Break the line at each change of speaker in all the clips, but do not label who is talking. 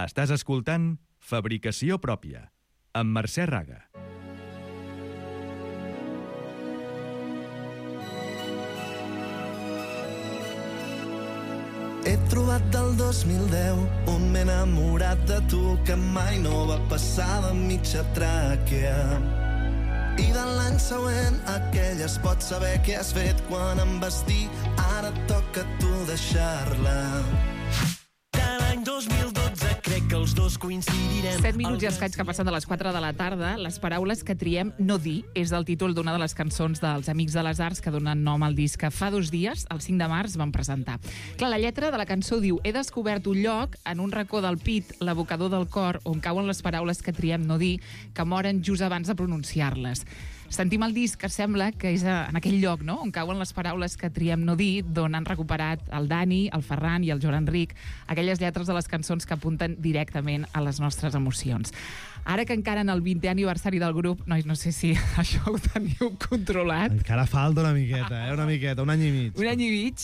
Estàs escoltant Fabricació Pròpia, amb Mercè Raga.
He trobat del 2010 on m'he enamorat de tu, que mai no va passar de mitja tràquea. I de l'any següent aquelles pots saber què has fet quan em vas dir ara et toca a tu deixar-la. De l'any 2012 crec que els dos coincidirem.
7 minuts i escaig que passen de les 4 de la tarda. Les paraules que triem no dir és el títol d'una de les cançons dels Amics de les Arts que donen nom al disc que fa 2 dies, el 5 de març, van presentar. Clar, la lletra de la cançó diu: he descobert un lloc en un racó del pit, l'abocador del cor, on cauen les paraules que triem no dir, que moren just abans de pronunciar-les. Sentim el disc que sembla que és en aquell lloc, no?, on cauen les paraules que triem no dir, d'on han recuperat el Dani, el Ferran i el Joan Enric, aquelles lletres de les cançons que apunten directament a les nostres emocions. Ara que encara en el 20è aniversari del grup, nois, no sé si això ho teniu controlat.
Encara falta una miqueta, una miqueta, un any i mig.
Un any i mig,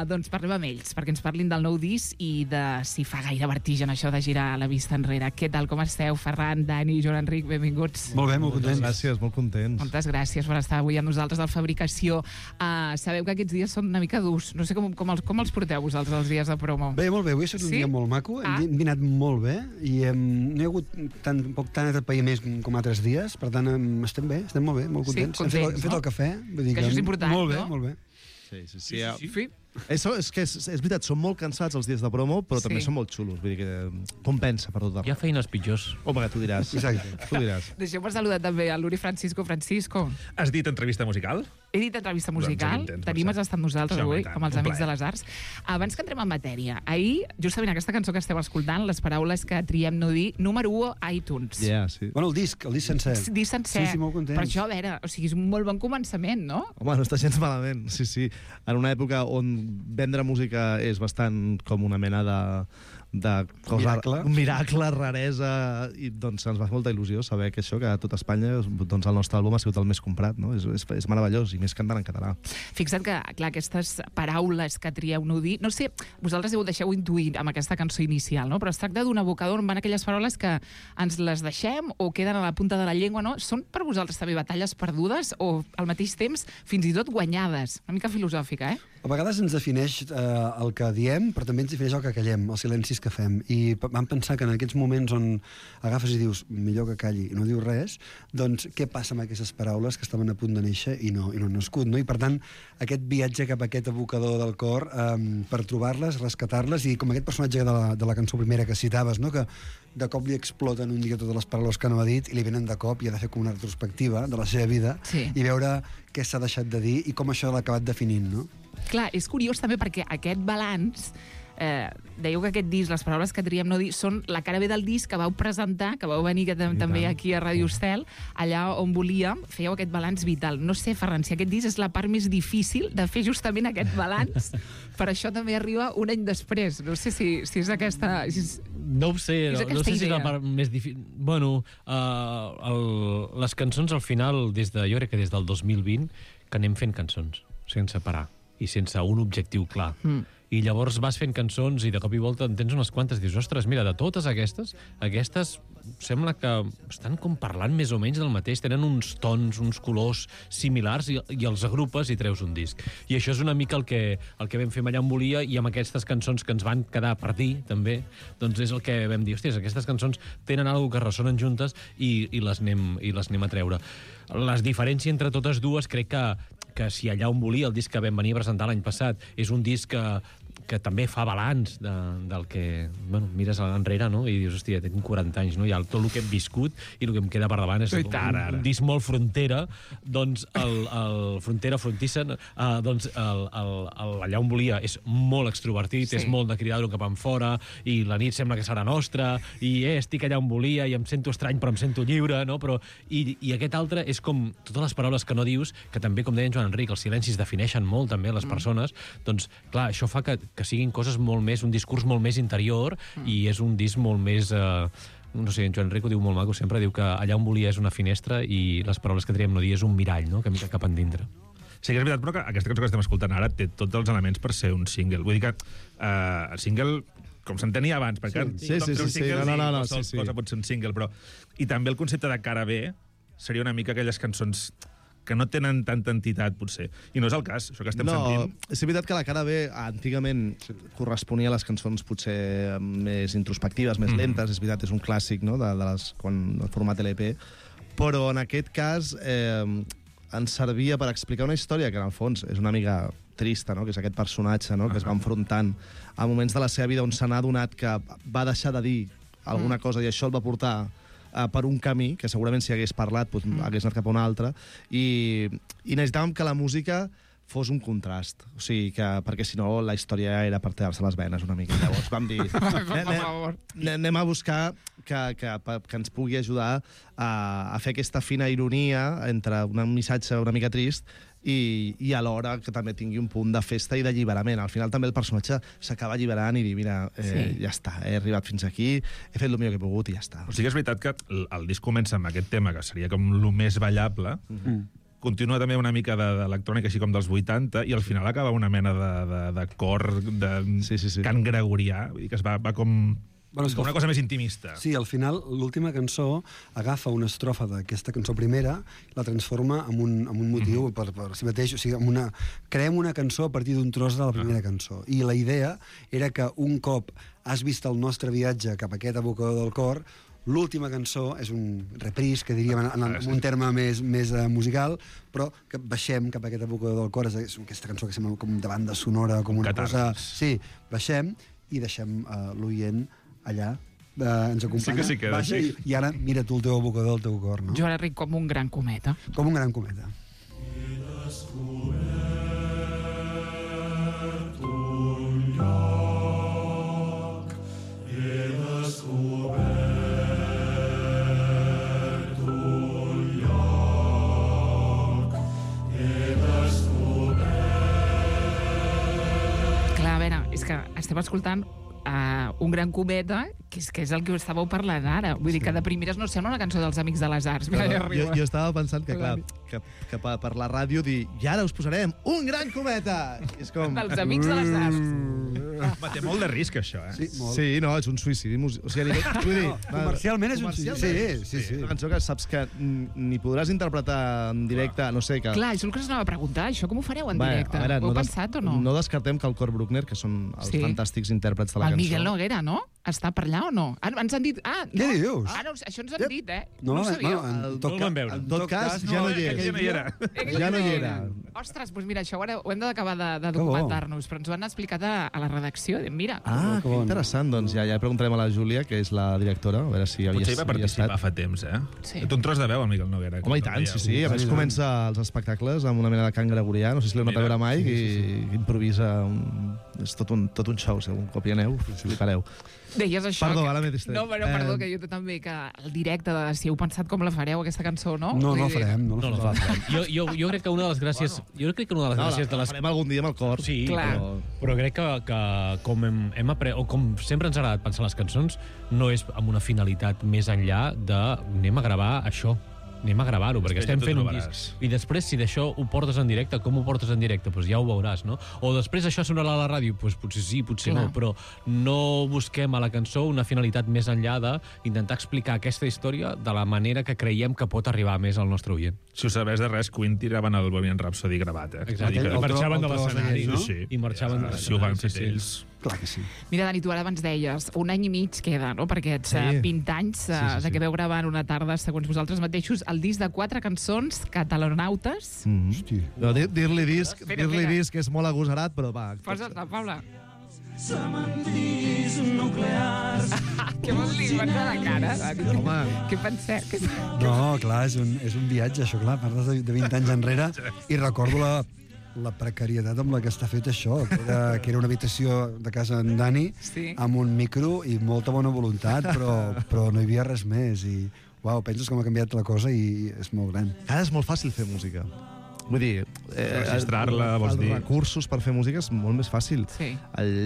doncs parlem amb ells, perquè ens parlin del nou disc i de si fa gaire vertigen això de girar la vista enrere. Què tal, com esteu, Ferran, Dani, Joan Enric, benvinguts.
Molt bé, molt contents. Gràcies, molt contents.
Moltes gràcies per estar avui amb nosaltres al Fabricació. Sabeu que aquests dies són una mica durs. No sé com els porteu vosaltres, els dies de promo.
Bé, molt bé. Avui ha estat un dia molt maco. Hem dinat molt bé i no hi ha hagut tant atrapallaments com altres dies. Per tant, estem bé, estem molt bé, molt contents.
Sí, contents,
hem fet el cafè. Vull dir
que això és important,
molt bé,
no?
molt bé.
Sí.
Sí.
És que és veritat, són molt cansats els dies de promo, però també són molt xulos. Vull dir que compensa per tot.
Hi ha feines pitjors.
Home, que tu diràs.
Exacte.
Tu diràs.
Deixeu-me saludar també a l'Uri Francisco. Francisco.
Has dit entrevista musical?
He dit entrevista musical. Tenim estat amb nosaltres avui, com els Amics de les Arts. Abans que entrem en matèria, ahir, justament aquesta cançó que esteu escoltant, les paraules que triem no dir, número 1 a iTunes.
Sí.
Bueno, el disc sencer.
Disc sencer.
Sí, molt contents.
Per això, a veure, o sigui, és un molt bon començament, no?
Home, no està gens malament, sí. En una època on vendre música és bastant com una mena de cosa, un miracle, raresa, i doncs ens va fer molta il·lusió saber que això, que a tot Espanya doncs el nostre àlbum ha sigut el més comprat, no? És meravellós, i més cantant en català.
Fixa't que, clar, aquestes paraules que trieu no dir, no sé, vosaltres ho deixeu intuir amb aquesta cançó inicial, no? Però es tracta d'un abocador on van aquelles paraules que ens les deixem o queden a la punta de la llengua, no? Són per vosaltres també batalles perdudes o al mateix temps fins i tot guanyades? Una mica filosòfica,
A vegades ens defineix el que diem, però també ens defineix el que callem, els silencis que fem. I vam pensar que en aquests moments on agafes i dius millor que calli i no dius res, doncs què passa amb aquestes paraules que estaven a punt de néixer i no han nascut, no? I per tant, aquest viatge cap a aquest abocador del cor per trobar-les, rescatar-les, i com aquest personatge de la cançó primera que citaves, no? Que de cop li exploten un dia totes les paraules que no ha dit i li venen de cop i ha de fer com una retrospectiva de la seva vida i veure què s'ha deixat de dir i com això l'ha acabat definint, no?
Clar, és curiós també perquè aquest balanç, dèieu que aquest disc, les paraules que triem no dir, són la cara B del disc que vau presentar, que vau venir també aquí a Ràdio Estel, allà on volíem, fèieu aquest balanç vital. No sé, Ferran, si aquest disc és la part més difícil de fer justament aquest balanç, per això també arriba un any després. No sé si és aquesta...
No ho sé, no sé si és la part més difícil. Bueno, les cançons al final, jo crec que des del 2020, que anem fent cançons, sense parar i sense un objectiu clar. I llavors vas fent cançons i de cop i volta en tens unes quantes i dius, ostres, mira, de totes aquestes sembla que estan com parlant més o menys del mateix, tenen uns tons, uns colors similars i els agrupes i treus un disc. I això és una mica el que vam fer allà on volia, i amb aquestes cançons que ens van quedar per dir, també, doncs és el que vam dir, hòsties, aquestes cançons tenen alguna que ressonen juntes i les anem a treure. La diferència entre totes dues crec que si allà on volia, el disc que vam venir a presentar l'any passat, és un disc que també fa balanç del que... Bueno, mires enrere, no?, i dius, hòstia, tinc 40 anys, no?, i tot el que hem viscut i el que em queda per davant és un disc molt frontera, doncs el frontera, frontisser, doncs allà on volia és molt extrovertit, és molt de cridar-ho cap enfora, i la nit sembla que serà nostra, i estic allà on volia, i em sento estrany però em sento lliure, no?, però... I aquest altre és com totes les paraules que no dius, que també, com deia en Joan Enric, els silencis defineixen molt també les persones, doncs, clar, això fa que siguin coses molt més, un discurs molt més interior, i és un disc molt més... no sé, en Joan Enric ho diu molt maco, sempre diu que allà on volia és una finestra i les paraules que triem no dir és un mirall, no?, que mira cap endintre.
Sí que és veritat, però que aquesta cançó que estem escoltant ara té tots els elements per ser un single. Vull dir que el single com s'entenia abans, perquè
Sí.
cosa pot ser un single, però... I també el concepte de cara B seria una mica aquelles cançons que no tenen tanta entitat, potser. I no és el cas, això que estem sentint.
És veritat que la cara B antigament corresponia a les cançons potser més introspectives, més lentes, és veritat, és un clàssic, no?, de les, quan el format LP, però en aquest cas ens servia per explicar una història que en el fons és una mica trista, no?, que és aquest personatge, no?, que es va enfrontant a moments de la seva vida on se n'ha adonat que va deixar de dir alguna cosa i això el va portar per un camí, que segurament si hagués parlat hagués anat cap a un altre, i necessitàvem que la música fos un contrast, o sigui, perquè si no la història era per tallar-se les venes una mica. Llavors vam dir, anem a buscar que ens pugui ajudar a fer aquesta fina ironia entre un missatge una mica trist i alhora que també tingui un punt de festa i d'alliberament. Al final també el personatge s'acaba alliberant i dir, mira, ja està, he arribat fins aquí, he fet el millor que he pogut i ja està.
O sigui, és veritat que el disc comença amb aquest tema, que seria com el més ballable, continua també una mica d'electrònica així com dels 80, i al final acaba una mena de cor, de cant gregorià, vull dir que es va com... Bueno, és una cosa més intimista.
Sí, al final, l'última cançó agafa una estrofa d'aquesta cançó primera, la transforma en un motiu per si mateix. O sigui, creem una cançó a partir d'un tros de la primera cançó. I la idea era que un cop has vist el nostre viatge cap a aquest abocador del cor, l'última cançó és un reprise, que diríem en un terme més musical, però que baixem cap a aquest abocador del cor. És aquesta cançó que sembla com de banda sonora, com una cosa... Sí, baixem i deixem l'oient allà, ens acompanya,
sí que
baixa i ara mira tu el teu abocador del teu cor, no?
Jo ara ric com un gran cometa.
Com un gran cometa.
Clar, a veure, és que estem escoltant un gran cometa, que és el que estàveu parlant ara. Vull dir que de primeres no sembla una cançó dels Amics de les Arts.
Jo estava pensant que, clar, que per la ràdio dir, i ara us posarem un gran cometa! És com...
Dels Amics de les Arts.
Té molt de risc, això, eh?
Sí, molt.
Sí, no, és un suïcidi. O sigui,
comercialment és un suïcidi. Sí.
Una cançó que saps que ni podràs interpretar en directe, no sé...
Clar, això és el que us anava a preguntar. Això com ho fareu en directe? Ho heu pensat o no?
No descartem que el Cor Bruckner, que són els fantàstics intèrprets de la cançó...
El Miguel Noguera, no? Està per allà o no? Ens han dit...
Què dius?
Això ens han dit, eh?
No
ho sabíeu.
En tot cas,
ja no hi era. Ja no hi era.
Ostres, doncs mira, això ara ho hem d'acabar de documentar-nos, però ens ho han explicat a la redacció. Mira.
Que interessant. Doncs ja preguntarem a la Júlia, que és la directora, a veure si havia estat.
Potser hi va participar fa temps, eh?
Sí.
Té un tros de veu, el Miguel Noguera.
Home, i tant, sí. A més comença els espectacles amb una mena de cant gregorià, no sé si l'heu anat a veure mai, i improvisa... És tot un show, un cop hi aneu, flipareu.
Deies això...
Perdó, ara m'he distret.
No, però perdó, que jo també, que el directe, si heu pensat com la fareu, aquesta cançó, no?
No la farem.
No la farem. Jo crec que una de les gràcies...
La farem algun dia amb el cor.
Sí, però crec que com hem après, o com sempre ens ha agradat pensar les cançons, no és amb una finalitat més enllà de anem a gravar això. Anem a gravar-ho, perquè estem fent un disc. I després, si d'això ho portes en directe, com ho portes en directe? Doncs ja ho veuràs, no? O després això sonarà a la ràdio? Doncs potser sí, potser no, però no busquem a la cançó una finalitat més enllà d'intentar explicar aquesta història de la manera que creiem que pot arribar més al nostre oient.
Si ho sabés de res, Queen tiraven el Bohemian Rhapsody gravat, eh?
Exacte, i marxaven de l'escenari, no? I marxaven de l'escenari.
Si ho van fer ells...
Clar que sí.
Mira, Dani, tu ara abans deies, un any i mig queda, no?, per aquests 20 anys de que veu gravar en una tarda, segons vosaltres mateixos, el disc de 4 cançons catalanautes.
Dir-li disc és molt agosarat, però va...
Posa-te, Paula.
Cementeris nuclears.
Què vols dir? Vas a la cara, Dani?
Home.
Què penseu?
No, clar, és un viatge, això, clar. Parles de 20 anys enrere i recordo la precarietat amb la que està fet això, que era una habitació de casa en Dani, amb un micro i molta bona voluntat, però no hi havia res més. I, uau, penses com ha canviat la cosa i és molt gran.
Ara és molt fàcil fer música. Vull dir...
registrar-la, vols dir?
Els recursos per fer música és molt més fàcil.
Sí.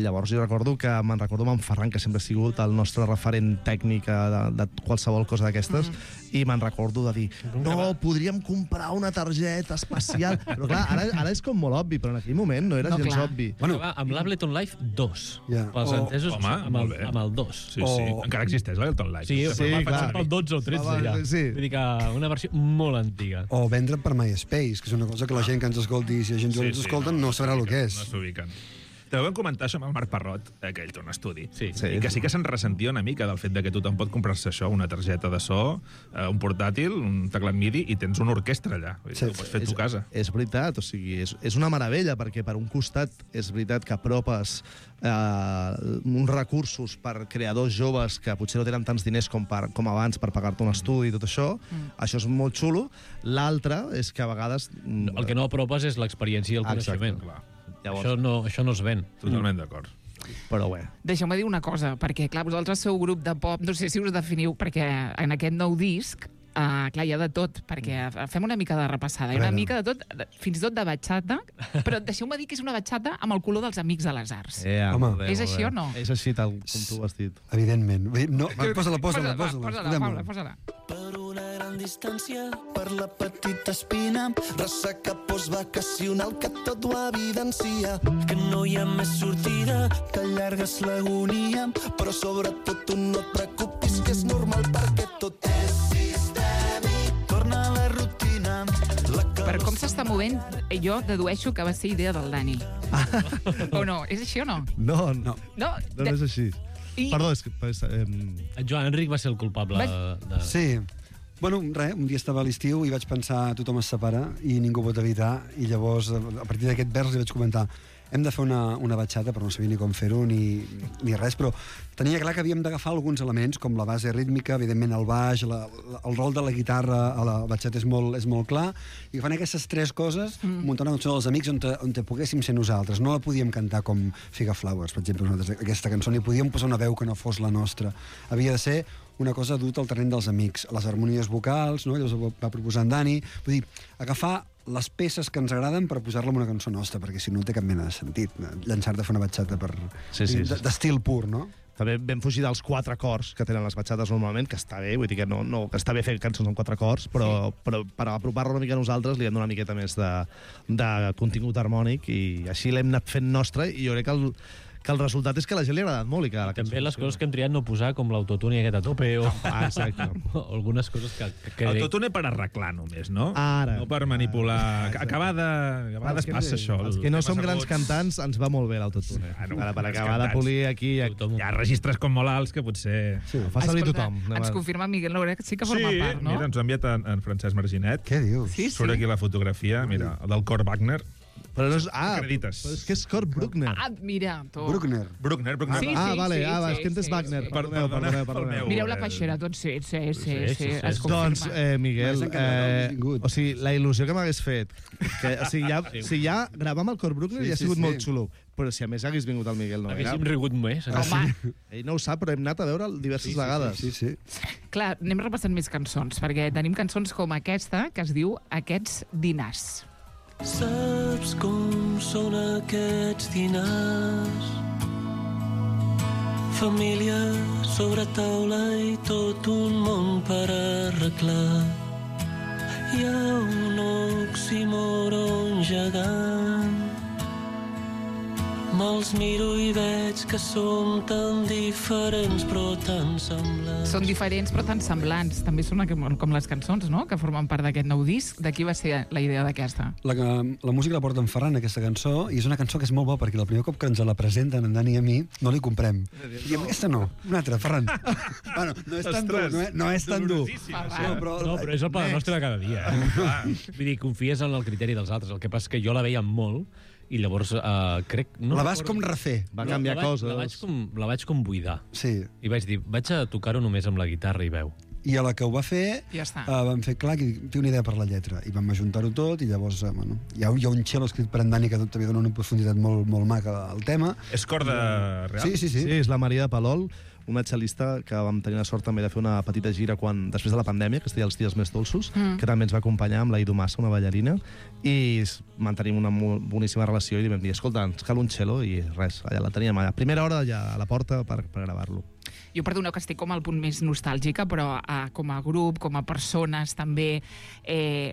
Llavors jo recordo amb en Ferran, que sempre ha sigut el nostre referent tècnic de qualsevol cosa d'aquestes, i me'n recordo de dir, no, podríem comprar una targeta especial. Però clar, ara és com molt obvi, però en aquell moment no era gens obvi.
Bueno, amb l'Ableton Live 2. Pels entesos, amb el 2.
Sí. Encara existeix l'Ableton Live.
Sí,
clar.
Pel 12 o 13 ja. Vull dir que una versió molt antiga.
O vendre per MySpace, que és una cosa que la gent que ens escolti, si la gent que ens escolta, no sabrà el que és.
No s'ubiquen. També vam comentar això amb el Marc Parrot, que ell té un estudi,
sí.
I que sí que se'n ressentia una mica del fet de que tothom pot comprar-se això, una targeta de so, un portàtil, un teclat MIDI, i tens una orquestra allà. Ho pots fer a tu casa.
És veritat, o sigui, és una meravella, perquè per un costat és veritat que apropes uns recursos per creadors joves que potser no tenen tants diners com abans per pagar-te un estudi i tot això. Això és molt xulo. L'altre és que a vegades...
El que no apropes és l'experiència i el coneixement.
Clar.
Llavors... Això no es ven.
Totalment d'acord.
Però bé.
Deixeu-me dir una cosa, perquè, clar, vosaltres sou grup de pop, no sé si us definiu, perquè en aquest nou disc, clar, hi ha de tot, perquè fem una mica de repassada, una mica de tot, fins i tot de bachata, però deixeu-me dir que és una bachata amb el color dels Amics de les Arts.
Home,
és així o no?
És així tal com tu ho has dit.
Evidentment. No, posa-la.
Posa-la.
Per una gran distància, per la petita espina, ressaca postvacacional que tot ho evidencia, que no hi ha més sortida, que allargues l'agonia, però sobretot tu no et preocupis, que és normal perquè tot és sistèmic, torna a la rutina.
Per com s'està movent, jo dedueixo que va ser idea del Dani. O no? És així o no?
No és així. Perdó, és que...
En Joan Enric va ser el culpable de...
Sí. Bueno, res, un dia estava a l'estiu i vaig pensar tothom es separa i ningú pot evitar, i llavors a partir d'aquest vers li vaig comentar hem de fer una batxata, però no sabia ni com fer-ho ni res, però tenia clar que havíem d'agafar alguns elements, com la base rítmica, evidentment el baix, el rol de la guitarra a la batxata és molt clar, i fan aquestes tres coses, muntar una cançó dels Amics on poguéssim ser nosaltres. No la podíem cantar com Figa Flowers, per exemple, aquesta cançó, ni podíem posar una veu que no fos la nostra. Havia de ser una cosa duta al terreny dels Amics, les harmonies vocals, no? Llavors ho va proposar en Dani, vull dir, agafar les peces que ens agraden per posar-la en una cançó nostra, perquè si no té cap mena de sentit llançar-te a fer una batxata d'estil pur, no?
També vam fugir dels 4 acords que tenen les batxates normalment, que està bé, vull dir que que està bé fer cançons amb 4 acords, però per apropar-la una mica a nosaltres li hem donat una miqueta més de contingut harmònic, i així l'hem anat fent nostra, i jo crec que el resultat és que a la gent li ha agradat molt. I que
també les coses que hem triat no posar, com l'autotune i aquest a tope, o algunes coses que...
Autotune per arreglar només, no?
Ara.
No per manipular. A vegades passa això.
Els que no som grans cantants ens va molt bé l'autotune. Per acabar de polir aquí...
Hi ha registres com molt alts que potser...
Fa servir tothom.
Ens confirma Miguel Laura que sí que forma part, no?
Sí, mira, ens ha enviat en Francesc Marginet.
Què dius?
Surt aquí la fotografia, mira, del Kurt Wagner.
Però no és...
Acredites.
Però és que és Kurt Bruckner.
Mira, tu.
Bruckner.
Sí,
vale, és que entes Wagner. Perdoneu.
Mireu la peixera, tots sí. Es confirma.
Doncs, Miguel, o sigui, la il·lusió que m'hagués fet, si ja gravar amb el Kurt Bruckner ja ha sigut molt xulo, però si a més hagués vingut el Miguel Noguera...
Haguéssim rigut més.
Home.
Ell no ho sap, però hem anat a veure'l diverses vegades.
Sí.
Clar, anem repassant més cançons, perquè tenim cançons com aquesta, que es diu Aquests dinars.
Saps com són aquests dinars? Família sobre taula i tot un món per arreglar. Hi ha un oxímoron gegant. Me'ls miro i veig que som tan diferents però tan semblants.
Són diferents però tan semblants. També són com les cançons, no?, que formen part d'aquest nou disc. De qui va ser la idea d'aquesta?
La música la porta en Ferran, aquesta cançó, i és una cançó que és molt bona perquè el primer cop que ens la presenten en Dani i a mi no li comprem. I amb aquesta no, una altra, Ferran. Bueno, no és tan dur, no és tan dur.
No, però és el pa nostre de cada dia. Vull dir, confies en el criteri dels altres. El que passa és que jo la veia molt, i llavors crec...
La vas com refer.
Va canviar coses.
La vaig com buidar.
Sí.
I vaig dir, vaig a tocar-ho només amb la guitarra i veu.
I a la que ho va fer, vam fer clar que té una idea per la lletra. I vam ajuntar-ho tot, i llavors hi ha un cello escrit per en Dani que també dona una profunditat molt maca al tema.
És corda real?
Sí.
Sí, és la Maria de Palol, una cel·lista que vam tenir la sort també de fer una petita gira després de la pandèmia, que es deia Els dies més dolços, que també ens va acompanyar amb la Ido Massa, una ballarina, i mantenim una boníssima relació i li vam dir, escolta, ens cal un cello, i res, allà la teníem a primera hora allà a la porta per gravar-lo.
Jo perdoneu que estic com al punt més nostàlgica, però com a grup, com a persones, també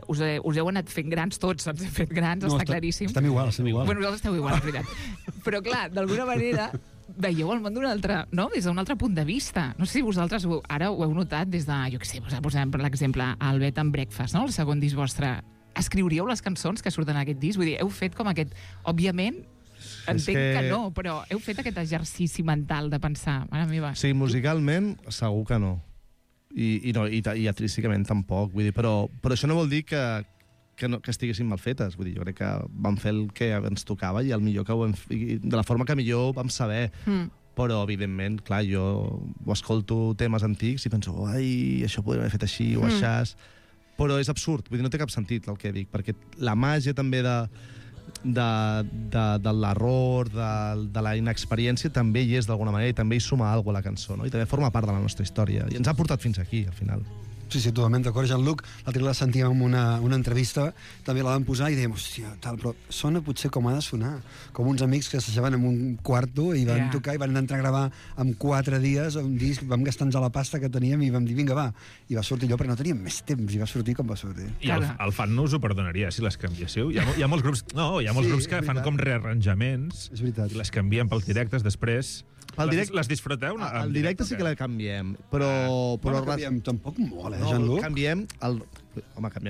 us heu anat fent grans tots, ens hem fet grans, està claríssim.
Estem igual.
Bueno, nosaltres esteu igual, és veritat. Però clar, d'alguna manera veieu el món des d'un altre punt de vista. No sé si vosaltres ara ho heu notat des de, jo què sé, posem per l'exemple el Bed and Breakfast, no? El segon disc vostre. Escriuríeu les cançons que surten en aquest disc? Vull dir, heu fet com aquest... Òbviament, entenc que no, però heu fet aquest exercici mental de pensar, mare meva...
Sí, musicalment, segur que no. I artísticament tampoc. Vull dir, però això no vol dir que estiguessin mal fetes. Vull dir, jo crec que vam fer el que ens tocava i el millor que ho hem fet, de la forma que millor vam saber. Però, evidentment, clar, jo escolto temes antics i penso, ai, això podríem haver fet així o aixàs. Però és absurd, vull dir, no té cap sentit el que dic, perquè la màgia també de l'error, de la inexperiència, també hi és d'alguna manera i també hi suma alguna cosa a la cançó, no? I també forma part de la nostra història. I ens ha portat fins aquí, al final.
Sí, totalment d'acord. Jean-Luc, l'altre dia la sentíem en una entrevista, també la vam posar i dèiem, hòstia, tal, però sona potser com ha de sonar. Com uns amics que s'aixeven en un quarto i van tocar i van entrar a gravar en 4 dies un disc, vam gastar-nos a la pasta que teníem i vam dir, vinga, va. I va sortir allò, però no teníem més temps, i va sortir com va sortir.
I el fan no us ho perdonaria, si les canviéssiu. Hi ha molts grups, que fan com rearranjaments i les canvien pels directes després. Les disfruteu?
El directe sí que la canviem, però...
canviem tampoc molt, Jean-Luc?
Canviem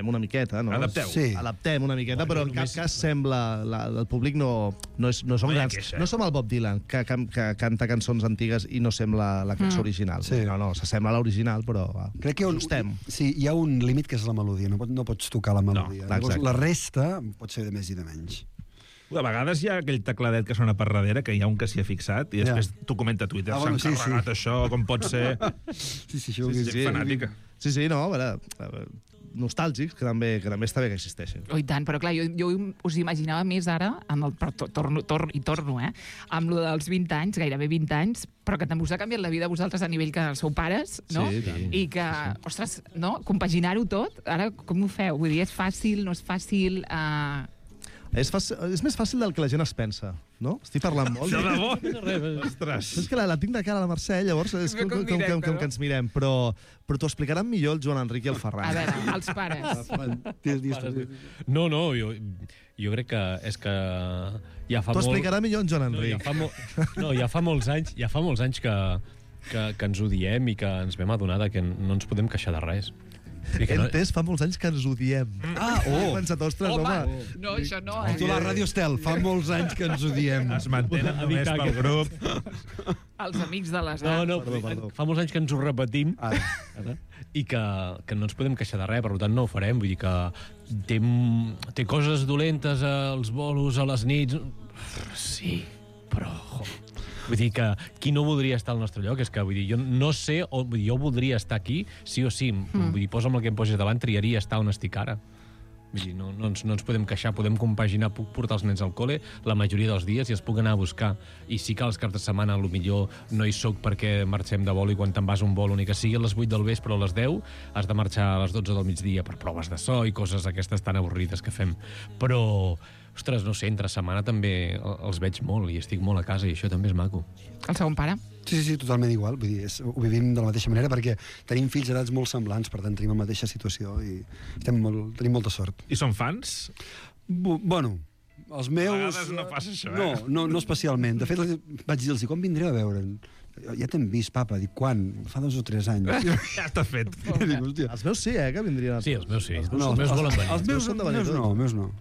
una miqueta, no?
Adapteu.
Sí. Adaptem una miqueta, però en cap cas sembla... El públic no som grans. No som el Bob Dylan, que canta cançons antigues i no sembla la cançó original. No, s'assembla a l'original, però
crec que sí, hi ha un límit que és la melodia, no pots tocar la melodia. La resta pot ser de més i de menys.
A vegades hi ha aquell tecladet que sona per darrere, que hi ha un que s'hi ha fixat, i després t'ho comenta a Twitter, s'ha encarregat això, com pot ser...
Sí, fanàtica.
Sí, no, a veure, nostàlgics, que també està bé que existeixin.
Oh, i tant, però clar, jo us imaginava més ara, torno, amb lo dels 20 anys, gairebé 20 anys, però que també us ha canviat la vida a vosaltres a nivell que sou pares, no?
Sí.
I que, ostres, no? Compaginar-ho tot, ara com ho feu? Vull dir, és fàcil, no és fàcil...
És més fàcil del que la gent es pensa, no? Estic parlant molt.
De debò? Ostres.
És que la tinc de cara a la Mercè, llavors és com que ens mirem, però t'ho explicaran millor el Joan Enric i el Ferran.
A veure, els pares.
No, jo crec que és que ja fa molt...
T'ho explicarà millor en Joan Enric.
Ja fa molts anys que ens odiem i que ens vam adonar que no ens podem queixar de res.
Entès, fa molts anys que ens odiem. He pensat, ostres, home.
No, això no.
Tu la Ràdio Estel, fa molts anys que ens odiem.
Es mantenen només pel grup.
Els amics de les
arts. No, fa molts anys que ens ho repetim i que no ens podem queixar de res, per tant no ho farem. Vull dir que té coses dolentes als bolos, a les nits... Sí, però... Vull dir que qui no voldria estar al nostre lloc? És que, vull dir, jo no sé, jo voldria estar aquí, sí o sí. Vull dir, posa'm el que em posis davant, triaria estar on estic ara. Vull dir, no ens podem queixar, podem compaginar, puc portar els nens al col·le la majoria dels dies i els puc anar a buscar. I sí que als caps de setmana potser no hi soc perquè marxem de vol i quan te'n vas a un vol, ni que sigui a les 8 del vespre o a les 10, has de marxar a les 12 del migdia per proves de so i coses aquestes tan avorrides que fem. Però... Ostres, no sé, entre setmana també els veig molt i estic molt a casa i això també és maco.
El segon pare?
Sí, totalment igual. Vull dir, ho vivim de la mateixa manera perquè tenim fills d'edats molt semblants, per tant tenim la mateixa situació i tenim molta sort.
I són fans?
Bueno, els meus...
A vegades no passa això,
No especialment. De fet, vaig dir-los, com vindreu a veure'n? Ja t'hem vist, papa. Dic, quan? Fa 2 o 3 anys.
Ja està fet.
Els meus sí, que vindrien.
Sí, els meus sí. Els meus volen venir.
Els meus no.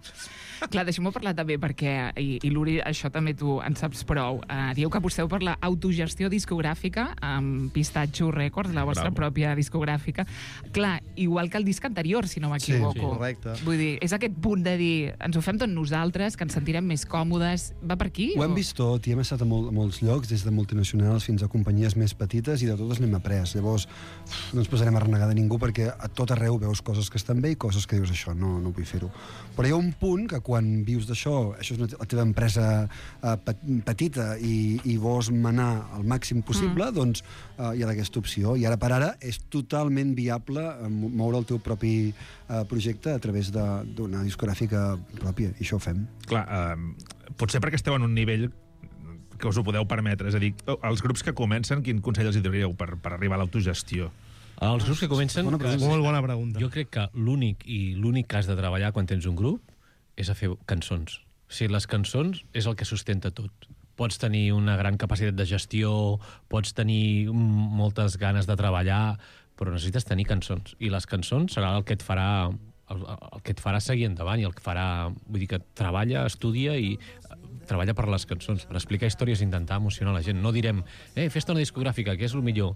Clar, deixem-ho parlar també perquè, i l'Uri, això també tu en saps prou, dieu que aposteu per l'autogestió discogràfica amb Pistatxo Records, la vostra pròpia discogràfica. Clar, igual que el disc anterior, si no m'equivoco.
Sí, correcte.
Vull dir, és aquest punt de dir, ens ho fem tot nosaltres, que ens sentirem més còmodes. Va per aquí?
Ho hem vist tot i hem estat a molts llocs, des de multinacionals fins a companyies més petites, i de totes n'hem après. Llavors, no ens posarem a renegar de ningú perquè a tot arreu veus coses que estan bé i coses que dius, això no vull fer-ho. Però hi ha un punt que quan vius d'això, això és la teva empresa petita i vols manar el màxim possible, doncs hi ha aquesta opció. I ara per ara és totalment viable moure el teu propi projecte a través d'una discogràfica pròpia, i això ho fem.
Clar, potser perquè esteu en un nivell que us ho podeu permetre. És a dir, els grups que comencen, quin consell els donaríeu per arribar a l'autogestió?
Els grups que comencen...
Molt bona pregunta.
Jo crec que l'únic que has de treballar quan tens un grup és a fer cançons. O sigui, les cançons és el que sustenta tot. Pots tenir una gran capacitat de gestió, pots tenir moltes ganes de treballar, però necessites tenir cançons. I les cançons serà el que et farà seguir endavant i el que farà... Vull dir que treballa, estudia i treballa per les cançons, per explicar històries i intentar emocionar la gent. No direm, fes-te una discogràfica, que és el millor.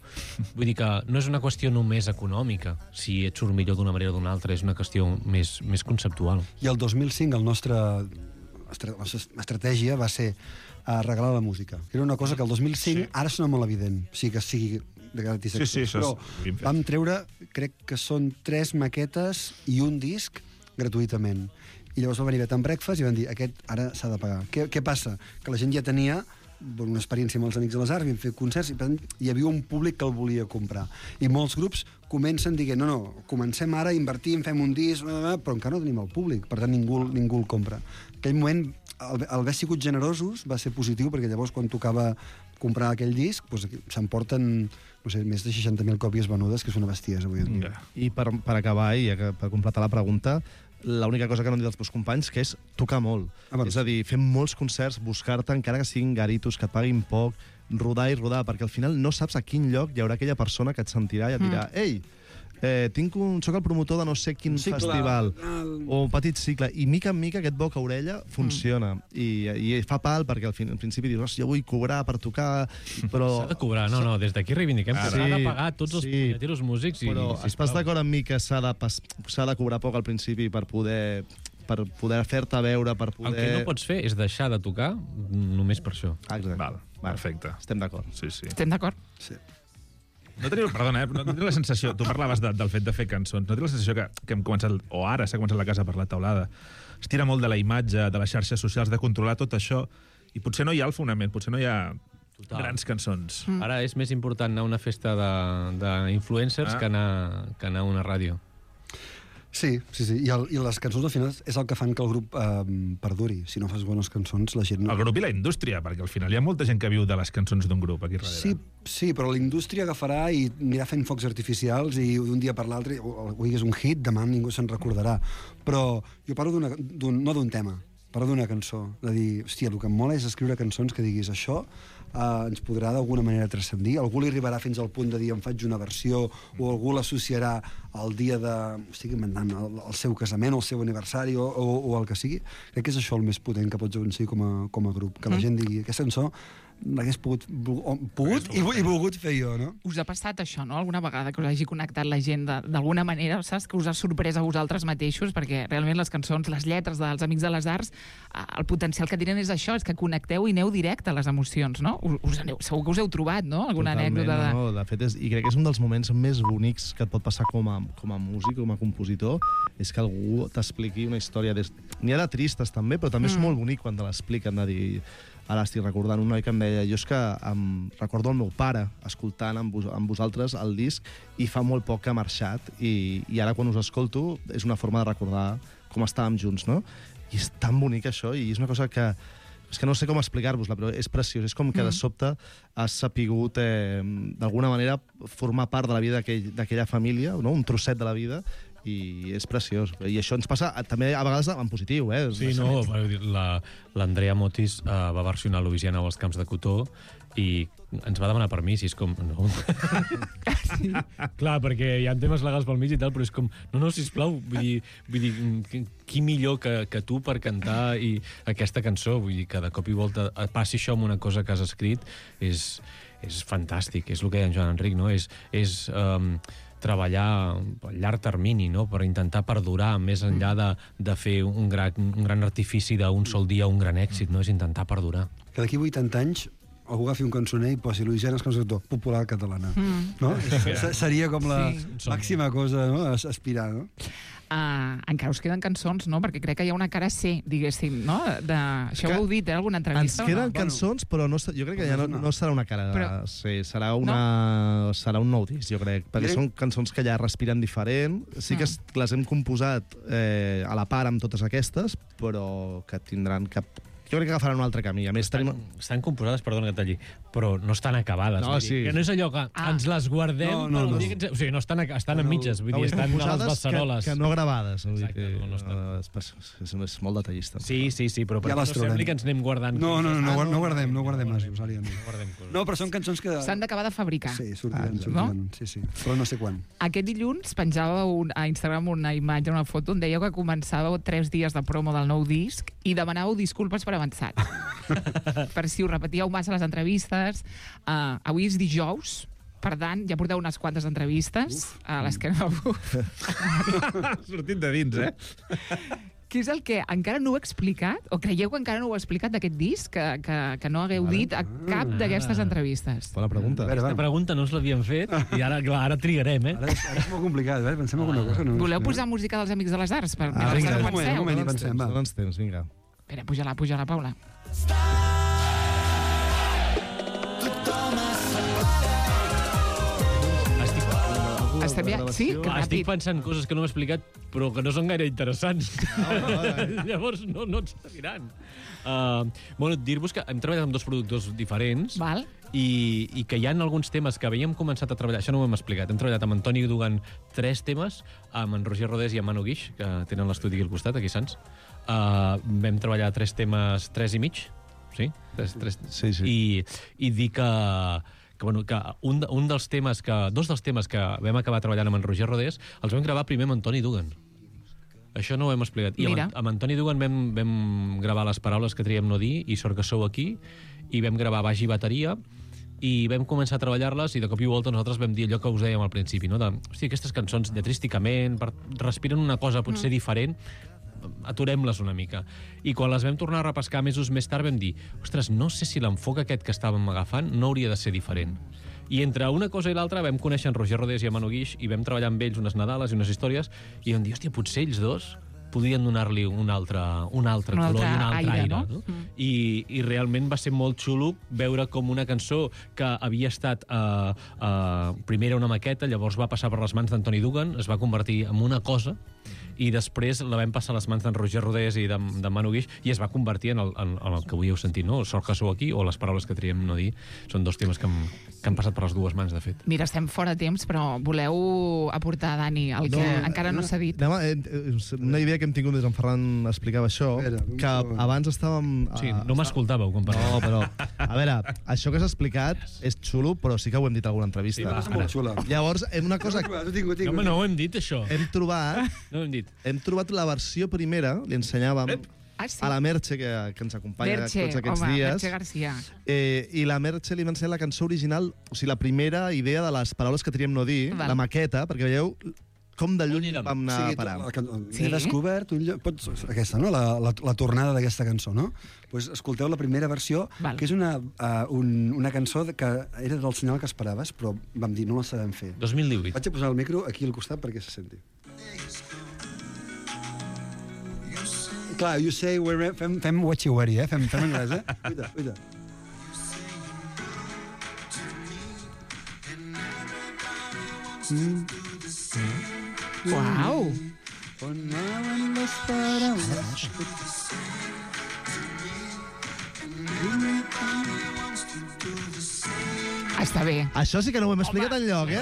Vull dir que no és una qüestió només econòmica, si et surt millor d'una manera o d'una altra, és una qüestió més conceptual.
I el 2005 la nostra estratègia va ser regalar la música. Era una cosa que el 2005 ara sona molt evident, que sigui de gratis. Però vam treure, crec que són 3 maquetes i un disc gratuïtament. I llavors va venir Bed and Breakfast i van dir, aquest ara s'ha de pagar. Què passa? Que la gent ja tenia una experiència amb els Amics de les Arts, vam fer concerts, i hi havia un públic que el volia comprar. I molts grups comencen dient, no, comencem ara, invertim, fem un disc, però encara no tenim el públic, per tant ningú el compra. En aquell moment, el haver sigut generosos va ser positiu, perquè llavors quan tocava comprar aquell disc, s'emporten més de 60.000 còpies venudes, que és una bestiesa avui en dia.
I per acabar, i per completar la pregunta, l'única cosa que no han dit els meus companys, que és tocar molt. És a dir, fer molts concerts, buscar-te, encara que siguin garitos, que et paguin poc, rodar i rodar, perquè al final no saps a quin lloc hi haurà aquella persona que et sentirà i et dirà «Ei, soc el promotor de no sé quin festival», o un petit cicle, i mica en mica aquest boca a orella funciona, i fa pal, perquè al principi dius «jo vull cobrar per tocar», però...
S'ha de cobrar, no, des d'aquí reivindiquem que s'ha de pagar tots els punyeters músics.
Però estàs d'acord amb mi que s'ha de cobrar poc al principi per poder fer-te veure, per poder...
El que no pots fer és deixar de tocar només per això.
Exacte.
Perfecte.
Estem d'acord.
Sí.
Estem d'acord?
Sí.
No teniu la sensació, tu parlaves del fet de fer cançons, no teniu la sensació que hem començat, o ara s'ha començat la casa per la taulada, es tira molt de la imatge, de les xarxes socials, de controlar tot això, i potser no hi ha el fonament, potser no hi ha grans cançons.
Ara és més important anar a una festa d'influencers que anar a una ràdio.
Sí. I les cançons al final és el que fan que el grup perduri. Si no fas bones cançons, la gent...
El grup i la indústria, perquè al final hi ha molta gent que viu de les cançons d'un grup aquí darrere.
Sí, però la indústria agafarà i anirà fent focs artificials i d'un dia per l'altre, avui és un hit, demà ningú se'n recordarà. Però jo parlo no d'un tema, parlo d'una cançó. De dir, hòstia, el que em mola és escriure cançons que diguis això ens podrà d'alguna manera transcendir. Algú li arribarà fins al punt de dir em faig una versió, o algú l'associarà al dia de... estic inventant, el seu casament, el seu aniversari, o el que sigui. Crec que és això el més potent que pots aconseguir com a grup. Que la gent digui, aquesta cançó l'hagués pogut i volgut fer jo, no?
Us ha passat això, no?, alguna vegada que us hagi connectat la gent d'alguna manera, saps? Que us ha sorprès a vosaltres mateixos, perquè realment les cançons, les lletres dels Amics de les Arts, el potencial que tenen és això, és que connecteu i aneu directe a les emocions, no? Segur que us heu trobat, no?, alguna anècdota de...
No, de fet, i crec que és un dels moments més bonics que et pot passar com a músic, com a compositor, és que algú t'expliqui una història. N'hi ha de tristes també, però també és molt bonic quan te l'expliquen, de dir... Ara estic recordant un noi que em deia, jo és que recordo el meu pare escoltant amb vosaltres el disc i fa molt poc que ha marxat i ara quan us escolto és una forma de recordar com estàvem junts, no? I és tan bonic això i és una cosa que... És que no sé com explicar-vos-la, però és preciós. És com que de sobte has sapigut d'alguna manera formar part de la vida d'aquella família, no? Un trosset de la vida, i és preciós. I això ens passa també a vegades en positiu, eh?
Sí, no, l'Andrea Motis va versionar Louisiana als Camps de Cotó i ens va demanar permís i és com... No. Sí. Clar, perquè hi ha temes legals pel mig i tal, però és com... No, sisplau, vull dir qui millor que tu per cantar aquesta cançó? Vull dir que de cop i volta passi això amb una cosa que has escrit és fantàstic, és el que deia en Joan Enric, no? És treballar a llarg termini, no? Per intentar perdurar més enllà de fer un gran artifici d'un sol dia, un gran èxit, no? És intentar perdurar.
Que d'aquí 80 anys algú agafi un cançoner i posi Louisiana Cançó popular catalana. No? Seria com la màxima cosa, no? A aspirar, no?
encara us queden cançons, no? Perquè crec que hi ha una cara C, diguéssim, no? Això ho heu dit, alguna entrevista?
Ens queden cançons, però jo crec que ja no serà una cara C, serà un nou disc, jo crec, perquè són cançons que ja respiren diferent. Sí que les hem composat a la part amb totes aquestes, però que tindran jo crec que agafaran un altre camí. A més,
estan composades, perdona que talli, però no estan acabades.
No, sí.
Que no és allò que ens les guardem...
No.
O sigui, no estan a mitges, vull dir, estan a les beceroles.
Que no gravades.
Exacte,
és molt detallista.
Sí, però ja no sembli que ens anem guardant.
No guardem nasos, Ària. No, però són cançons que...
S'han d'acabar de fabricar.
Sí, sortiran, sí, però no sé quan.
Aquest dilluns penjàveu a Instagram una imatge, una foto, on dèieu que començàveu 3 dies de promo del nou disc i demanàveu disculpes per avançat. Per si us repetíeu massa les entrevistes. Avui és dijous, per tant, ja porteu unes quantes entrevistes a les que no...
Sortit de dins,
Què és el que encara no heu explicat, o creieu que encara no ho heu explicat d'aquest disc, que no hagueu dit a cap d'aquestes entrevistes?
Bona pregunta.
Aquesta pregunta no us l'havíem fet, i ara trigarem,
Ara és molt complicat, pensem alguna cosa.
Voleu posar música dels Amics de les Arts?
Vinga, un moment, hi pensem, va.
Dóna'ns temps, vinga.
Espera, puja-la, Paula. Sí, que
estic pensant coses que no m'he explicat, però que no són gaire interessants. Llavors no et serviran. Dir-vos que hem treballat amb 2 productors diferents.
Val.
I que hi ha alguns temes que havíem començat a treballar, això no ho hem explicat, hem treballat amb Antoni Dugan 3 temes, amb en Roger Rodés i amb Manu Guix, que tenen l'estudi aquí al costat, aquí a Sants. Vam treballar 3 temes, 3 i mig, sí? 3.
Sí.
I dir que dos dels temes que vam acabar treballant amb en Roger Rodés els vam gravar primer amb Antoni Dugan. Això no ho hem explicat. I amb Antoni Dugan vam gravar les paraules que triem no dir i Sort que sou aquí, i vam gravar baix i bateria, i vam començar a treballar-les i de cop i volta nosaltres vam dir allò que us dèiem al principi, no? Aquestes cançons lletrísticament respiren una cosa potser diferent, aturem-les una mica. I quan les vam tornar a repescar mesos més tard vam dir, ostres, no sé si l'enfoc aquest que estàvem agafant no hauria de ser diferent. I entre una cosa i l'altra vam conèixer en Roger Rodés i en Manu Guix i vam treballar amb ells unes Nadales i unes històries i vam dir, hòstia, potser ells dos podien donar-li un altre color i un altre aire. No? I realment va ser molt xulo veure com una cançó que havia estat primer era una maqueta, llavors va passar per les mans d'Antoni Dugan, es va convertir en una cosa i després la vam passar a les mans d'en Roger Rodés i de Manu Guix i es va convertir en el que avui heu sentit, no? Sort que sou aquí o les paraules que triem no dir. Són 2 temes que han passat per les 2 mans, de fet.
Mira, estem fora de temps, però voleu aportar, Dani, el que encara no s'ha dit?
Una idea que hem tingut des d'en Ferran explicava això, que abans estàvem...
Sí, no m'escoltàveu quan parlàvem.
No, però, a veure, això que s'ha explicat és xulo, però sí que ho hem dit a alguna entrevista.
Sí, és molt xula.
Llavors, una cosa...
No ho hem dit, això.
Hem trobat la versió primera, li ensenyàvem a la Merche, que ens acompanya tots aquests dies.
Merche Garcia.
I la Merche li va ensenyar la cançó original, o sigui, la primera idea de les paraules que triem no dir, la maqueta, perquè veieu com de lluny vam anar a parar.
He descobert aquesta, no? La tornada d'aquesta cançó, no? Pues escolteu la primera versió, que és una cançó que era del senyal que esperaves, però vam dir, no la sabem fer.
2018.
Vaig a posar el micro aquí al costat perquè se senti. Clar, you say, fem what you worry, fem anglès, Uita.
Uau! Està bé.
Això sí que no ho hem explicat enlloc,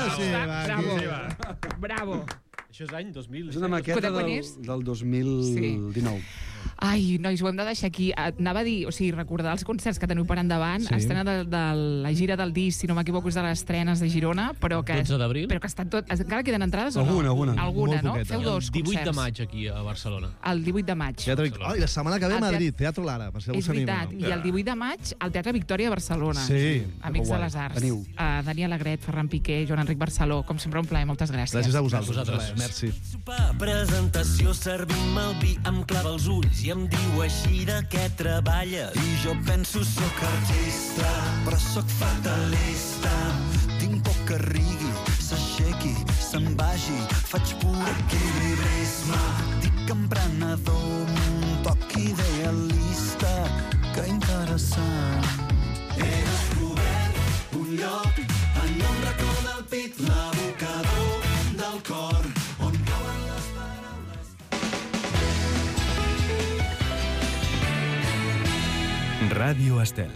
Bravo.
Això és any 2000.
És una maqueta del 2019.
Ai, nois, ho hem de deixar aquí. Anava a dir, o sigui, recordar els concerts que teniu per endavant, estrena de la gira del disc, si no m'equivoco, és de les estrenes de Girona, però que...
12 d'abril?
Però que estan tot... Encara queden entrades o no? Alguna, no? Feu 2 concerts.
El 18 de maig aquí a Barcelona.
El 18 de maig.
I la setmana que ve a Madrid, Teatro Lara, per si algú s'anima.
És veritat, i el 18 de maig al Teatre Victòria a Barcelona.
Sí.
Amics de les Arts. Dani Alegret, Ferran Piqué, Joan Enric Barceló, com sempre un plaer, moltes gràcies.
Gràcies a vosaltres. Merci.
Presentació, servim el vi, em clava els ulls i em diu així de què treballes. I jo penso soc artista, però soc fatalista. Tinc por que rigui, s'aixequi, se'n vagi, faig pur equilibrisme. pragmàtic, emprenedor, un toc idealista, que interessant. He descobert un lloc en un racó del pit, l'abocador del cor, on cauen les paraules.
Ràdio Estel.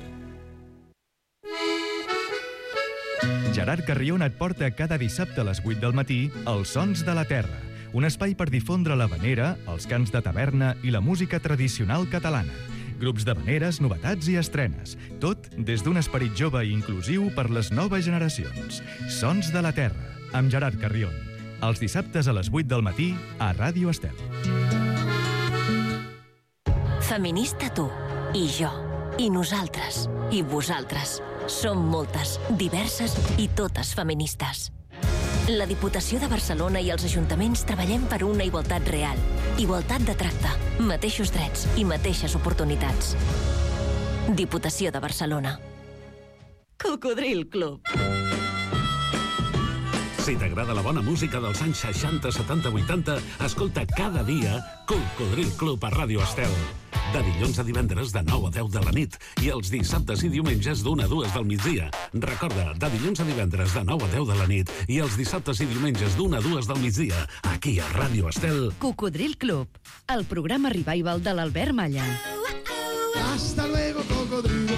Gerard Carrion et porta cada dissabte a les 8 del matí Els Sons de la Terra, un espai per difondre l'havanera, els cants de taverna i la música tradicional catalana. Grups d'havaneres, novetats i estrenes. Tot des d'un esperit jove i inclusiu per les noves generacions. Sons de la Terra, amb Gerard Carrion. Els dissabtes a les 8 del matí a Ràdio Estel.
Feminista tu, i jo, i nosaltres, i vosaltres. Som moltes, diverses i totes feministes. La Diputació de Barcelona i els ajuntaments treballem per una igualtat real. Igualtat de tracte, mateixos drets i mateixes oportunitats. Diputació de Barcelona. Cocodril Club.
Si t'agrada la bona música dels anys 60, 70, 80, escolta cada dia Cocodril Club a Ràdio Estel. De dilluns a divendres de 9 a 10 de la nit i els dissabtes i diumenges d'1 a 2 del migdia. Recorda, de dilluns a divendres de 9 a 10 de la nit i els dissabtes i diumenges d'1 a 2 del migdia, aquí a Ràdio Estel.
Cocodril Club, el programa revival de l'Albert Malla.
Hasta luego, cocodrilo.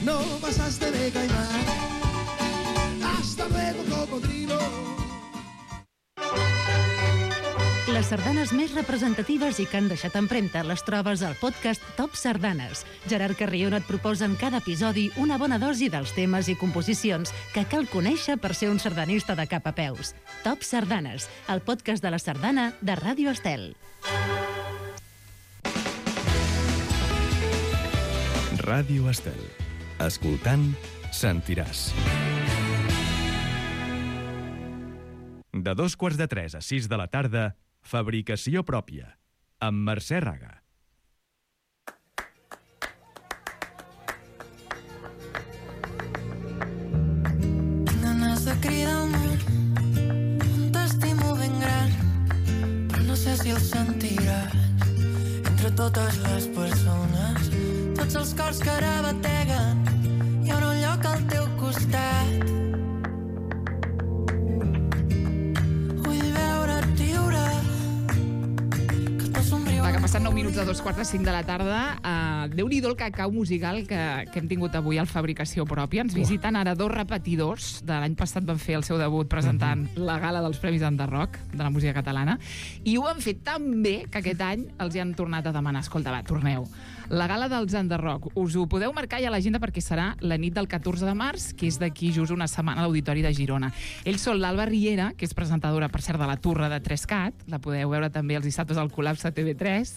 No pasaste de caimán. Hasta luego, cocodrilo.
Les sardanes més representatives i que han deixat empremta les trobes al podcast Top Sardanes. Gerard Carrion et proposa en cada episodi una bona dosi dels temes i composicions que cal conèixer per ser un sardanista de cap a peus. Top Sardanes, el podcast de la sardana de Ràdio Estel.
Ràdio Estel. Escoltant, sentiràs. De 2:45 a 6 de la tarda, Fabricació pròpia, amb Mercè Raga.
Tinc ganes de cridar al món, t'estimo ben gran, però no sé si el sentiràs. Entre totes les persones, tots els cors que ara bateguen, hi haurà un lloc al teu costat.
Va, que passen 9 minuts de 2:45 de la tarda. Déu-n'hi-do el cacau musical que hem tingut avui al Fabricació Pròpia. Ens visiten ara dos repetidors. De l'any passat van fer el seu debut presentant la gala dels Premis Enderroc de la música catalana. I ho han fet tan bé que aquest any els hi han tornat a demanar: escolta, va, torneu. La gala dels Enderroc, us ho podeu marcar ja a l'agenda perquè serà la nit del 14 de març, que és d'aquí just una setmana a l'Auditori de Girona. Ells són l'Alba Riera, que és presentadora, per cert, de La Turra de 3Cat. La podeu veure també els dissabtes al Col·lapse TV3.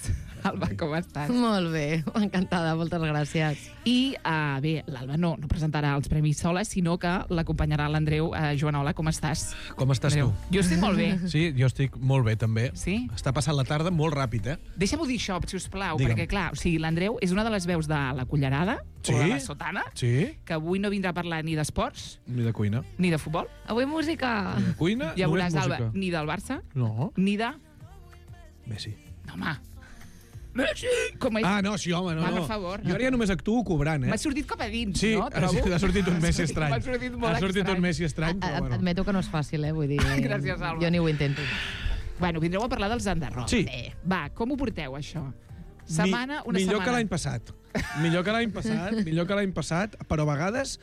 Alba, com estàs?
Molt bé, encantada, moltes gràcies.
I, bé, l'Alba no presentarà els premis sola, sinó que l'acompanyarà l'Andreu. Joanola, com estàs?
Com estàs
Andreu?
tu?
Jo estic molt bé.
Sí, jo estic molt bé, també.
Sí?
Està passant la tarda molt ràpid, eh?
Deixa'm-ho dir això, si us plau,
Digue'm.
perquè, clar, o sigui, l'Andreu és una de les veus de La Cullerada,
Sí?
o de La Sotana,
Sí?
que avui no vindrà a parlar ni d'esports,
Ni de cuina.
ni de futbol.
Avui música.
Ni de cuina,
Ja
només
veuràs, Alba,
música.
ni del Barça,
No,
ni de...
Messi.
No, home. Messi! Com és?
Ah, no, sí, home, no.
Va, per
no.
favor.
Jo ara ja només actuo cobrant, eh?
M'ha sortit cap a dins,
Sí,
no?
ha sortit un Messi estrany.
M'ha sortit molt
Ha sortit
estrany.
un Messi estrany, però bueno.
Admeto que no és fàcil, vull dir...
Gràcies, Alba.
Jo ni ho intento.
Bueno, vindreu a parlar dels Enderroc.
Sí.
Va, com ho porteu, això? Una
millor
setmana.
que l'any passat. Millor que l'any passat, però a vegades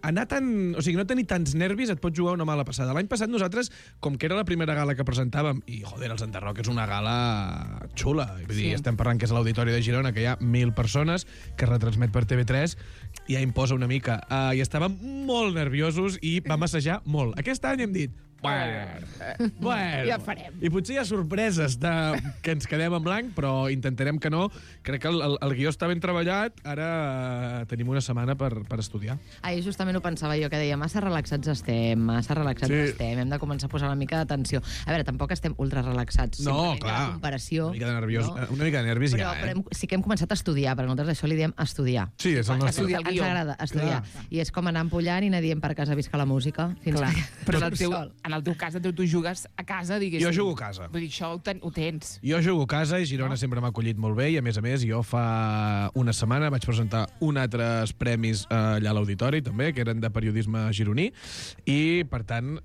anar tan... O sigui, no tenir tants nervis et pot jugar una mala passada. L'any passat nosaltres, com que era la primera gala que presentàvem, i, joder, els Enderroc és una gala xula. Vull dir, estem parlant que és l'Auditori de Girona, que hi ha 1.000 persones, que es retransmet per TV3, i ja imposa una mica. I estàvem molt nerviosos i vam assajar molt. Aquest any hem dit, bueno,
ja farem.
I potser hi ha sorpreses que ens quedem en blanc, però intentarem que no. Crec que el guió està ben treballat. Ara tenim una setmana per estudiar.
Justament ho pensava jo, que deia, massa relaxats estem, hem de començar a posar una mica d'atenció. A veure, tampoc estem ultra relaxats.
No, clar.
La comparació.
Una mica de nerviós, no? Una mica de nervis
però sí que hem començat a estudiar, perquè nosaltres això li diem estudiar.
Sí, és el nostre.
Ens agrada estudiar. I és com anar empullant i anar dient per casa visca la música. Fins
Clar.
que...
Però en en el teu cas, tu jugues a casa, diguéssim.
Jo jugo a casa.
Vull dir, això ho tens.
Jo jugo a casa i Girona sempre m'ha acollit molt bé i, a més, jo fa una setmana vaig presentar altres premis allà a l'Auditori, també, que eren de periodisme gironí, i, per tant,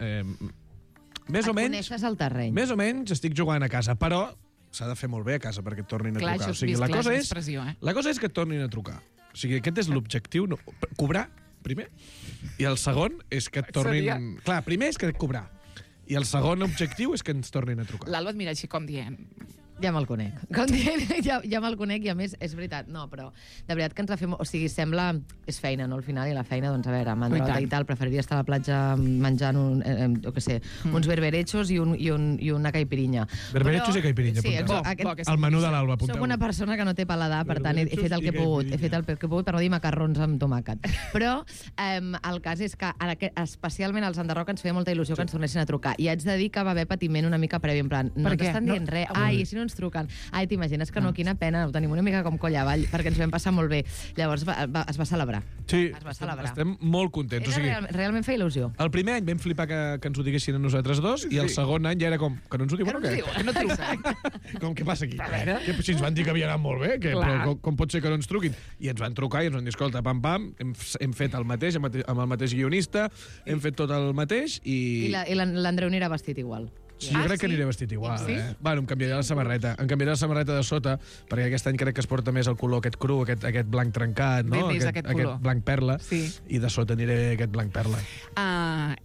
més o menys...
Coneixes el terreny.
Més o menys estic jugant a casa, però s'ha de fer molt bé a casa perquè et tornin a trucar.
Clar, això és més pressió,
La cosa és que et tornin a trucar. O sigui, aquest és l'objectiu. No, cobrar, primer, i el segon és que et tornin... Clar, primer és que cobrar. I el segon objectiu és que ens tornin a trucar.
L'Alba et mira així com dient...
Ja me'l conec. Com dient, ja me'l conec i, a més, és veritat. No, però de veritat que ens va fer... O sigui, sembla... És feina, no? Al final, i la feina, doncs, a veure, mandrota i tal, preferiria estar a la platja menjant uns berberechos i una caipirinha.
Berberechos i caipirinha,
sí,
el menú de l'Alba, apunteu.
Soc una persona que no té paladar, per tant, he fet el que he pogut. He fet el que he pogut per no dir macarrons amb tomàquet. Però el cas és que, especialment als Enderroc, ens feia molta il·lusió que ens tornessin a trucar. I haig de dir que va haver patiment una mica previ, en plan, no t'estan dient res. Ai, si no ens truquen. Ai, t'imagines que no, quina pena, ho tenim una mica com coll avall, perquè ens vam passar molt bé. Llavors es va celebrar.
Sí, estem molt contents.
Realment feia il·lusió.
El primer any vam flipar que ens ho diguessin a nosaltres dos, i el segon any ja era com, que no ens ho diuen o què?
Que no truca.
Com, què passa aquí? Si ens van dir que havia anat molt bé, però com pot ser que no ens truquin? I ens van trucar i ens van dir, escolta, pam, hem fet el mateix, amb el mateix guionista, hem fet tot el mateix i...
I l'Andreu anirà vestit igual.
Sí, jo crec que aniré vestit igual, Bueno, em canviaré la samarreta. Em canviaré la samarreta de sota, perquè aquest any crec que es porta més el color aquest cru, aquest blanc trencat, no? Aquest blanc perla. I de sota aniré aquest blanc perla.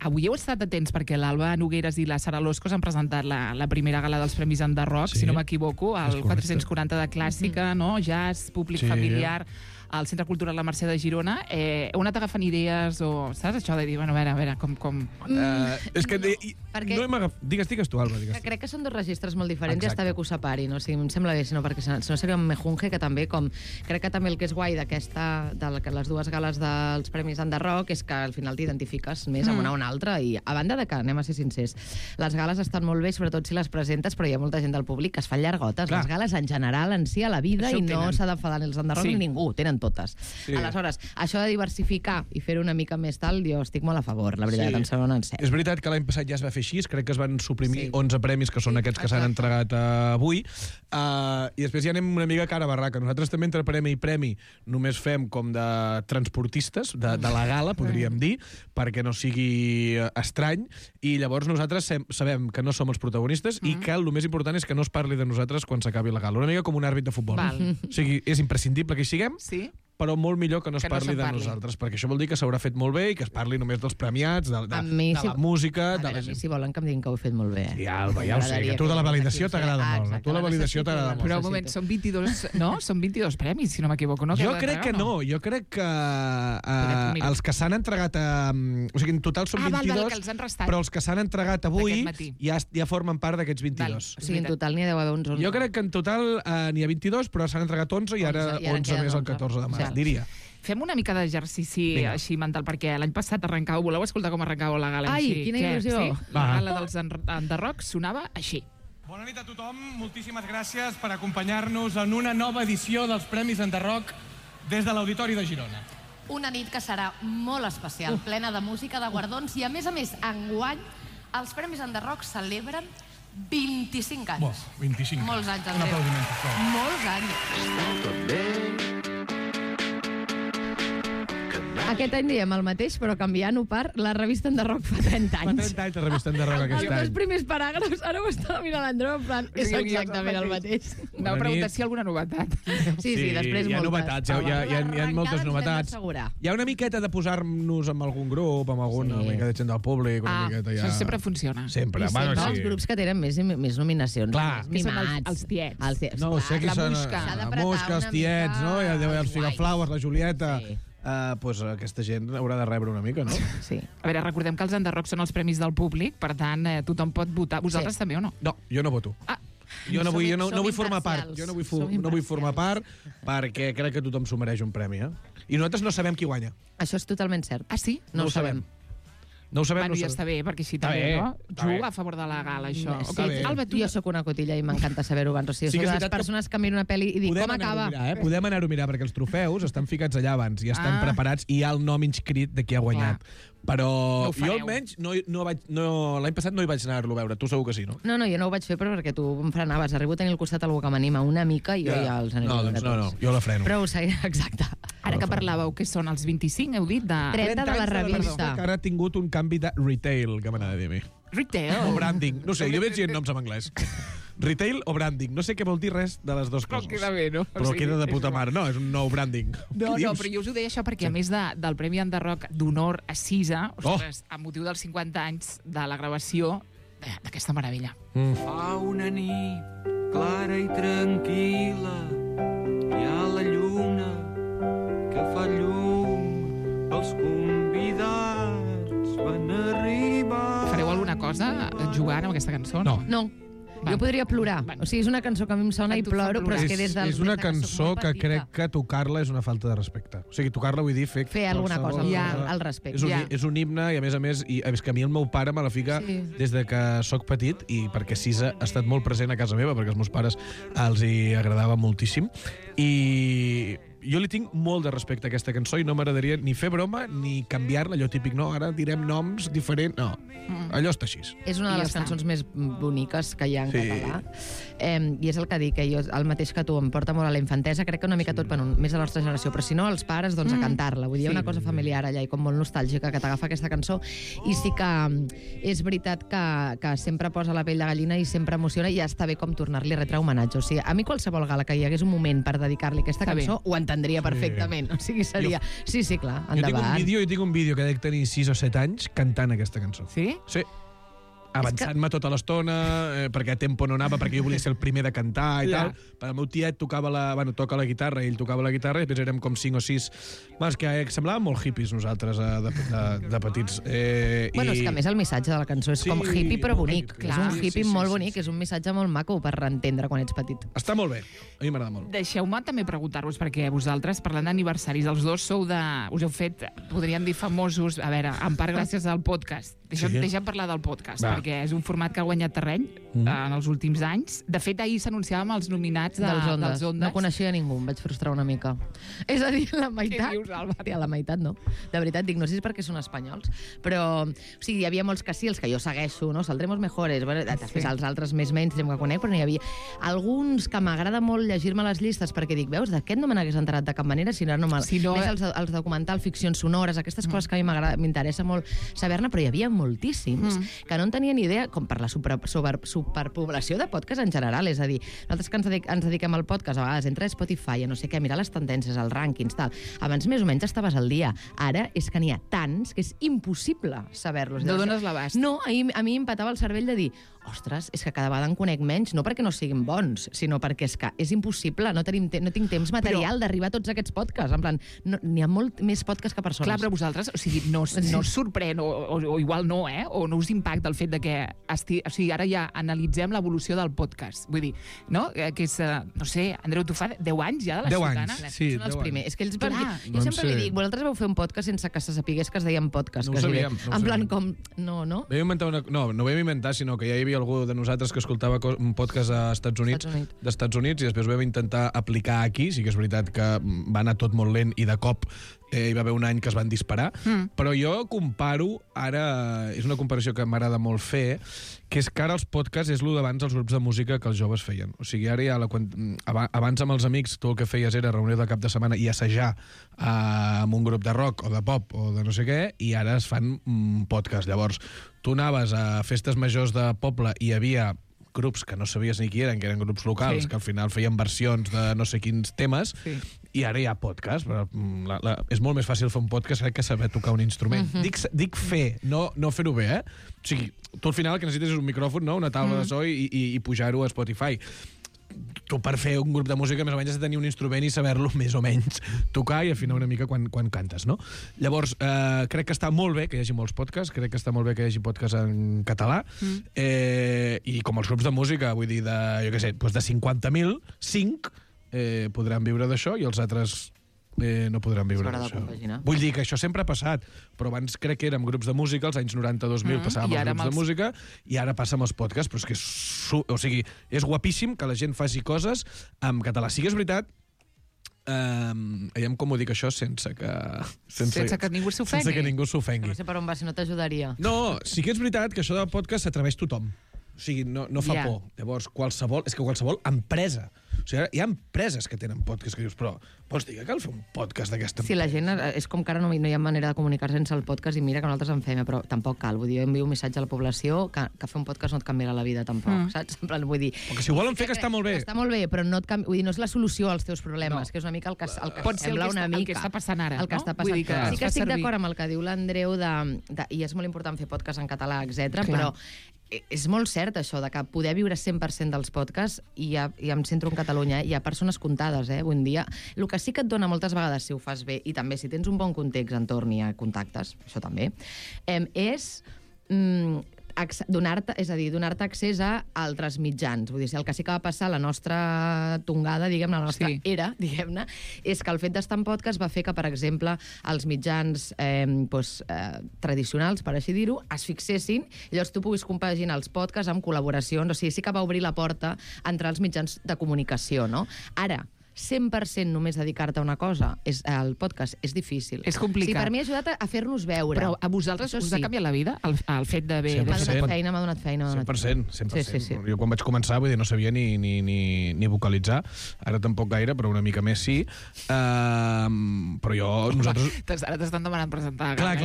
Avui heu estat atents perquè l'Alba Nogueras i la Sara Loscos han presentat la primera gala dels Premis Enderroc, si no m'equivoco, al 440 de Clàssica, no? Jazz, públic familiar... al Centre Cultural La Mercè de Girona. Heu anat agafant idees o... Saps això de dir, bueno, a veure, com...
És que no hem agafat... Digues tu, Alba, digues.
Crec que són dos registres molt diferents i està bé que ho separin. O sigui, em sembla bé, sinó perquè no seria un mejunje que també, com... Crec que també el que és guai d'aquesta... de les dues gales dels Premis Enderroc és que al final t'identifiques més amb una o una altra i a banda de que, anem a ser sincers, les gales estan molt bé, sobretot si les presentes, però hi ha molta gent del públic que es fan llargotes. Les gales en general en si a la vida i no s'ha d'enfadar els Enderroc ni ningú. Tenen totes. Aleshores, això de diversificar i fer una mica més tal, jo estic molt a favor, la veritat, em sembla un encert.
És veritat que l'any passat ja es va fer així, crec que es van suprimir 11 premis, que són aquests que s'han entregat avui, i després ja anem una mica cara a barraca. Nosaltres també entre premi i premi només fem com de transportistes, de la gala, podríem dir, perquè no sigui estrany, i llavors nosaltres sabem que no som els protagonistes i que el més important és que no es parli de nosaltres quan s'acabi la gala. Una mica com un àrbit de futbol. O sigui, és imprescindible que hi siguem, però molt millor que no es parli de nosaltres, perquè això vol dir que s'haurà fet molt bé i que es parli només dels premiats, de la música...
A mi, si volen que em diguin que ho he fet molt bé.
Sí, Alba, ja ho sé, que tu de la validació t'agrada molt. A tu la validació t'agrada molt.
Però un moment, són 22, no? Són 22 premis, si no m'equivoco, no?
Jo crec que no, jo crec que els que s'han entregat o sigui, en total són 22, però els que s'han entregat avui ja formen part d'aquests 22.
O sigui, en total n'hi ha d'haver uns 11.
Jo crec que en total n'hi ha 22, però s'han entregat 11 i ara 11 més el 14 de març. Diria.
Fem una mica d'exercici així mental, perquè l'any passat arrencàveu, voleu escoltar com arrencàveu la gala?
Ai, quina il·lusió!
La gala dels Enderroc sonava així.
Bona nit a tothom, moltíssimes gràcies per acompanyar-nos en una nova edició dels Premis Enderroc des de l'Auditori de Girona.
Una nit que serà molt especial, plena de música, de guardons, i a més, enguany, els Premis Enderroc celebren 25 anys.
25 anys.
Molts
anys, Andreu.
Un aplaudiment, sisplau.
Molts anys.
Aquest any diem el mateix, però canviant-ho per la revista Enderroc fa 30 anys.
Fa 30 anys la revista Enderroc aquest any.
Els dos primers paràgrafs, ara ho estava mirant l'Andreu, en plan, és exactament el mateix.
Anava a preguntar si hi ha alguna novetat.
Sí, després moltes.
Hi ha novetats, hi ha moltes novetats. Hi ha una miqueta de posar-nos amb algun grup, amb alguna mica de gent del públic, una miqueta ja...
Això sempre funciona.
Sempre.
Els grups que tenen més nominacions.
Clar.
Mimats. Els tiets.
No, sé qui són... La Mosca, els tiets, no? Els Figaflaues, la Julieta... Doncs aquesta gent haurà de rebre una mica, no?
Sí.
A veure, recordem que els Enderroc són els premis del públic, per tant, tothom pot votar. Vosaltres també o no?
No, jo no voto. Jo no vull formar part. Jo no vull formar part perquè crec que tothom s'ho mereix un premi, I nosaltres no sabem qui guanya.
Això és totalment cert.
Ah, sí?
No ho sabem.
No ho sabem,
bueno, ja està bé, perquè així també, no? Juga a favor de la gala, això.
Sí, Alba, jo sóc una cotilla i m'encanta saber-ho abans. O sigui, soc de les persones que miro una pel·li i dic, com acaba?
Podem anar-ho a mirar, perquè els trofeus estan ficats allà abans i estan preparats i hi ha el nom inscrit de qui ha guanyat. Però jo almenys l'any passat no hi vaig anar-lo a veure. Tu segur que sí, no?
No, jo no ho vaig fer perquè tu em frenaves. Arribo a tenir al costat algú que m'anima una mica i jo ja els aniré a veure tots.
No, jo la freno.
Però ho sé, exacte.
Ara que parlàveu, que són els 25, heu dit?
30 de la revista.
Que ara ha tingut un canvi de retail, que m'anava a dir a mi.
Retail?
O branding. No sé, jo veig dient noms en anglès. Retail o branding. No sé què vol dir res de les dues coses.
Però queda bé, no?
Però queda de puta mare. No, és un nou branding.
No, però jo us ho deia això perquè, a més del Premi Enderrock d'honor a Cisa, ostres, amb motiu dels 50 anys de la gravació d'aquesta meravella.
Fa una nit clara i tranquil·la, hi ha la lluna que fa llum, els convidats van arribar.
Fareu alguna cosa jugant amb aquesta cançó?
No. Jo podria plorar. O sigui, és una cançó que a mi em sona i ploro, però és que des del...
És una cançó que crec que tocar-la és una falta de respecte. O sigui, tocar-la vull dir
fer alguna cosa al respecte.
És un himne i, a més, és que a mi el meu pare me la fica des de que sóc petit i perquè Cisa ha estat molt present a casa meva, perquè als meus pares els hi agradava moltíssim. I jo li tinc molt de respecte a aquesta cançó i no m'agradaria ni fer broma ni canviar-la, allò típic, no, ara direm noms diferents, no, allò està així.
És una de les cançons més boniques que hi ha en català, i és el que dic, que jo, el mateix que tu, em porta molt a la infantesa, crec que una mica tot, més de la nostra generació, però si no, els pares, doncs a cantar-la, vull dir, hi ha una cosa familiar allà i com molt nostàlgica que t'agafa aquesta cançó, i sí que és veritat que sempre posa la pell de gallina i sempre emociona, i ja està bé com tornar-li a retre homenatge, o sigui, a mi qualsevol gala que hi hagués un moment per dedicar-li aquesta cançó, ho entendria perfectament. O sigui, seria... Sí, clar, endavant.
Jo tinc un vídeo que dec tenir 6 o 7 anys cantant aquesta cançó.
Sí?
Sí. Avançant-me tota l'estona, perquè a tempo no anava, perquè jo volia ser el primer de cantar i tal. El meu tiet toca la guitarra, ell tocava la guitarra, i després érem com 5 o 6... És que semblàvem molt hippies nosaltres de petits.
Bueno, és que a més el missatge de la cançó és com hippie però bonic. És un hippie molt bonic, és un missatge molt maco per entendre quan ets petit.
Està molt bé, a mi m'agrada molt.
Deixeu-me també preguntar-vos, perquè vosaltres, parlant d'aniversaris, els dos us heu fet, podríem dir, famosos, a veure, en part gràcies al podcast. Deixem parlar del podcast, perquè és un format que ha guanyat terreny en els últims anys. De fet, ahir s'anunciàvem els nominats dels Ondes.
No coneixia ningú, em vaig frustrar una mica. És a dir, la meitat...
Què dius, Alba?
La meitat no. De veritat, dic, no sé si és perquè són espanyols, però o sigui, hi havia molts que sí, els que jo segueixo, no? Saldremos mejores, bueno, després els altres més mainstream que conec, però n'hi havia alguns que m'agrada molt llegir-me les llistes, perquè dic, veus, d'aquest no me n'hagués enterat de cap manera, si no més els documentals, ficcions sonores, aquestes coses que a mi m'interessa molt saber-ne, però hi havia moltíssims que no en tenien ni idea, com per la superpoblació de podcast en general, és a dir, nosaltres que ens dediquem al podcast, a vegades entra a Spotify, a no sé què, mirar les tendències, els rànquings, tal. Abans més o menys estaves al dia. Ara és que n'hi ha tants que és impossible saber-los.
No dones l'abast.
No, a mi em patava el cervell de dir, ostres, és que cada vegada en conec menys, no perquè no siguin bons, sinó perquè és que és impossible, no tinc temps material d'arribar a tots aquests podcasts. En plan, n'hi ha molt més podcasts que persones.
Clar, però vosaltres, o sigui, no us sorprèn, o igual no, o no us impacta el fet de que o sigui, ara ja analitzem l'evolució del podcast. Vull dir, no? Que és, no sé, Andreu, tu fa 10 anys ja de la Ciutadana?
10 anys, sí.
Són els primers. És que ells jo sempre li dic, vosaltres vau fer un podcast sense que se sapigués que es deien podcast.
No ho sabíem.
En plan, com... No.
No vam inventar, sinó que ja hi havia algú de nosaltres que escoltava un podcast als Estats Units, i després vam intentar aplicar aquí. Sí que és veritat que va anar tot molt lent i de cop hi va haver un any que es van disparar, però jo comparo, ara és una comparació que m'agrada molt fer, que és que ara els podcasts és el d'abans dels grups de música que els joves feien. O sigui, ara ja abans amb els amics tu el que feies era reunir de cap de setmana i assajar amb un grup de rock o de pop o de no sé què, i ara es fan podcasts. Llavors, tu anaves a festes majors de poble i hi havia grups que no sabies ni qui eren, que eren grups locals, que al final feien versions de no sé quins temes, i ara hi ha podcast. És molt més fàcil fer un podcast que saber tocar un instrument. Dic fer, no fer-ho bé, O sigui, tu al final el que necessites és un micròfon, una taula de so i pujar-ho a Spotify. Tu per fer un grup de música més o menys has de tenir un instrument i saber-lo més o menys tocar i afinar una mica quan cantes, no? Llavors, crec que està molt bé que hi hagi molts podcasts, crec que està molt bé que hi hagi podcasts en català, i com els grups de música, vull dir, de 50.000, 5 podran viure d'això i els altres no podran viure d'això. Vull dir que això sempre ha passat, però abans crec que érem grups de música, als anys 90-2000 passàvem els grups de música, i ara passa amb els podcasts, però és que és guapíssim que la gent faci coses en català. Sí que és veritat, com ho dic això sense que
ningú s'ofengui.
Sense que ningú s'ofengui.
No sé per on va, si no t'ajudaria.
No, sí que és veritat que això del podcast s'atreveix tothom. O sigui, no fa por. Llavors, qualsevol empresa. O sigui, hi ha empreses que tenen podcast que dius, però vols dir que cal fer un podcast d'aquesta empresa?
Sí, la gent, és com que ara no hi ha manera de comunicar-se sense el podcast i mira que nosaltres en fem, però tampoc cal. Vull dir, jo envio un missatge a la població que fer un podcast no et canviarà la vida, tampoc, saps? En plan, vull dir...
Perquè si ho volen fer, que està molt bé.
Està molt bé, però no és la solució als teus problemes, que és una mica el que sembla una mica...
El que està passant ara,
el que està passant. Sí que estic d'acord amb el que diu l'Andreu, i és molt important fer podcast en català, etc. però és molt cert això, de que poder viure 100% dels podcasts, i em centro en Catalunya, hi ha persones comptades, un dia. El que sí que et dona moltes vegades, si ho fas bé, i també si tens un bon context entorn i contactes, això també, és donar-te accés a altres mitjans. Vull dir, el que sí que va passar la nostra tongada, diguem-ne, la nostra era, diguem-ne, és que el fet d'estar en podcast va fer que, per exemple, els mitjans tradicionals, per així dir-ho, es fixessin, i llavors tu puguis compaginar els podcasts amb col·laboracions. O sigui, sí que va obrir la porta a entrar als mitjans de comunicació, no? Ara, 100% només dedicar-te a una cosa, el podcast, és difícil.
És complicat.
Sí, per mi ha ajudat a fer-nos veure.
Però a vosaltres us ha canviat la vida, el fet d'haver...
M'ha donat feina.
100%.
Sí.
Jo quan vaig començar, vull dir, no sabia ni vocalitzar, ara tampoc gaire, però una mica més sí. Però nosaltres...
Ara t'estan demanant presentar.
Clar,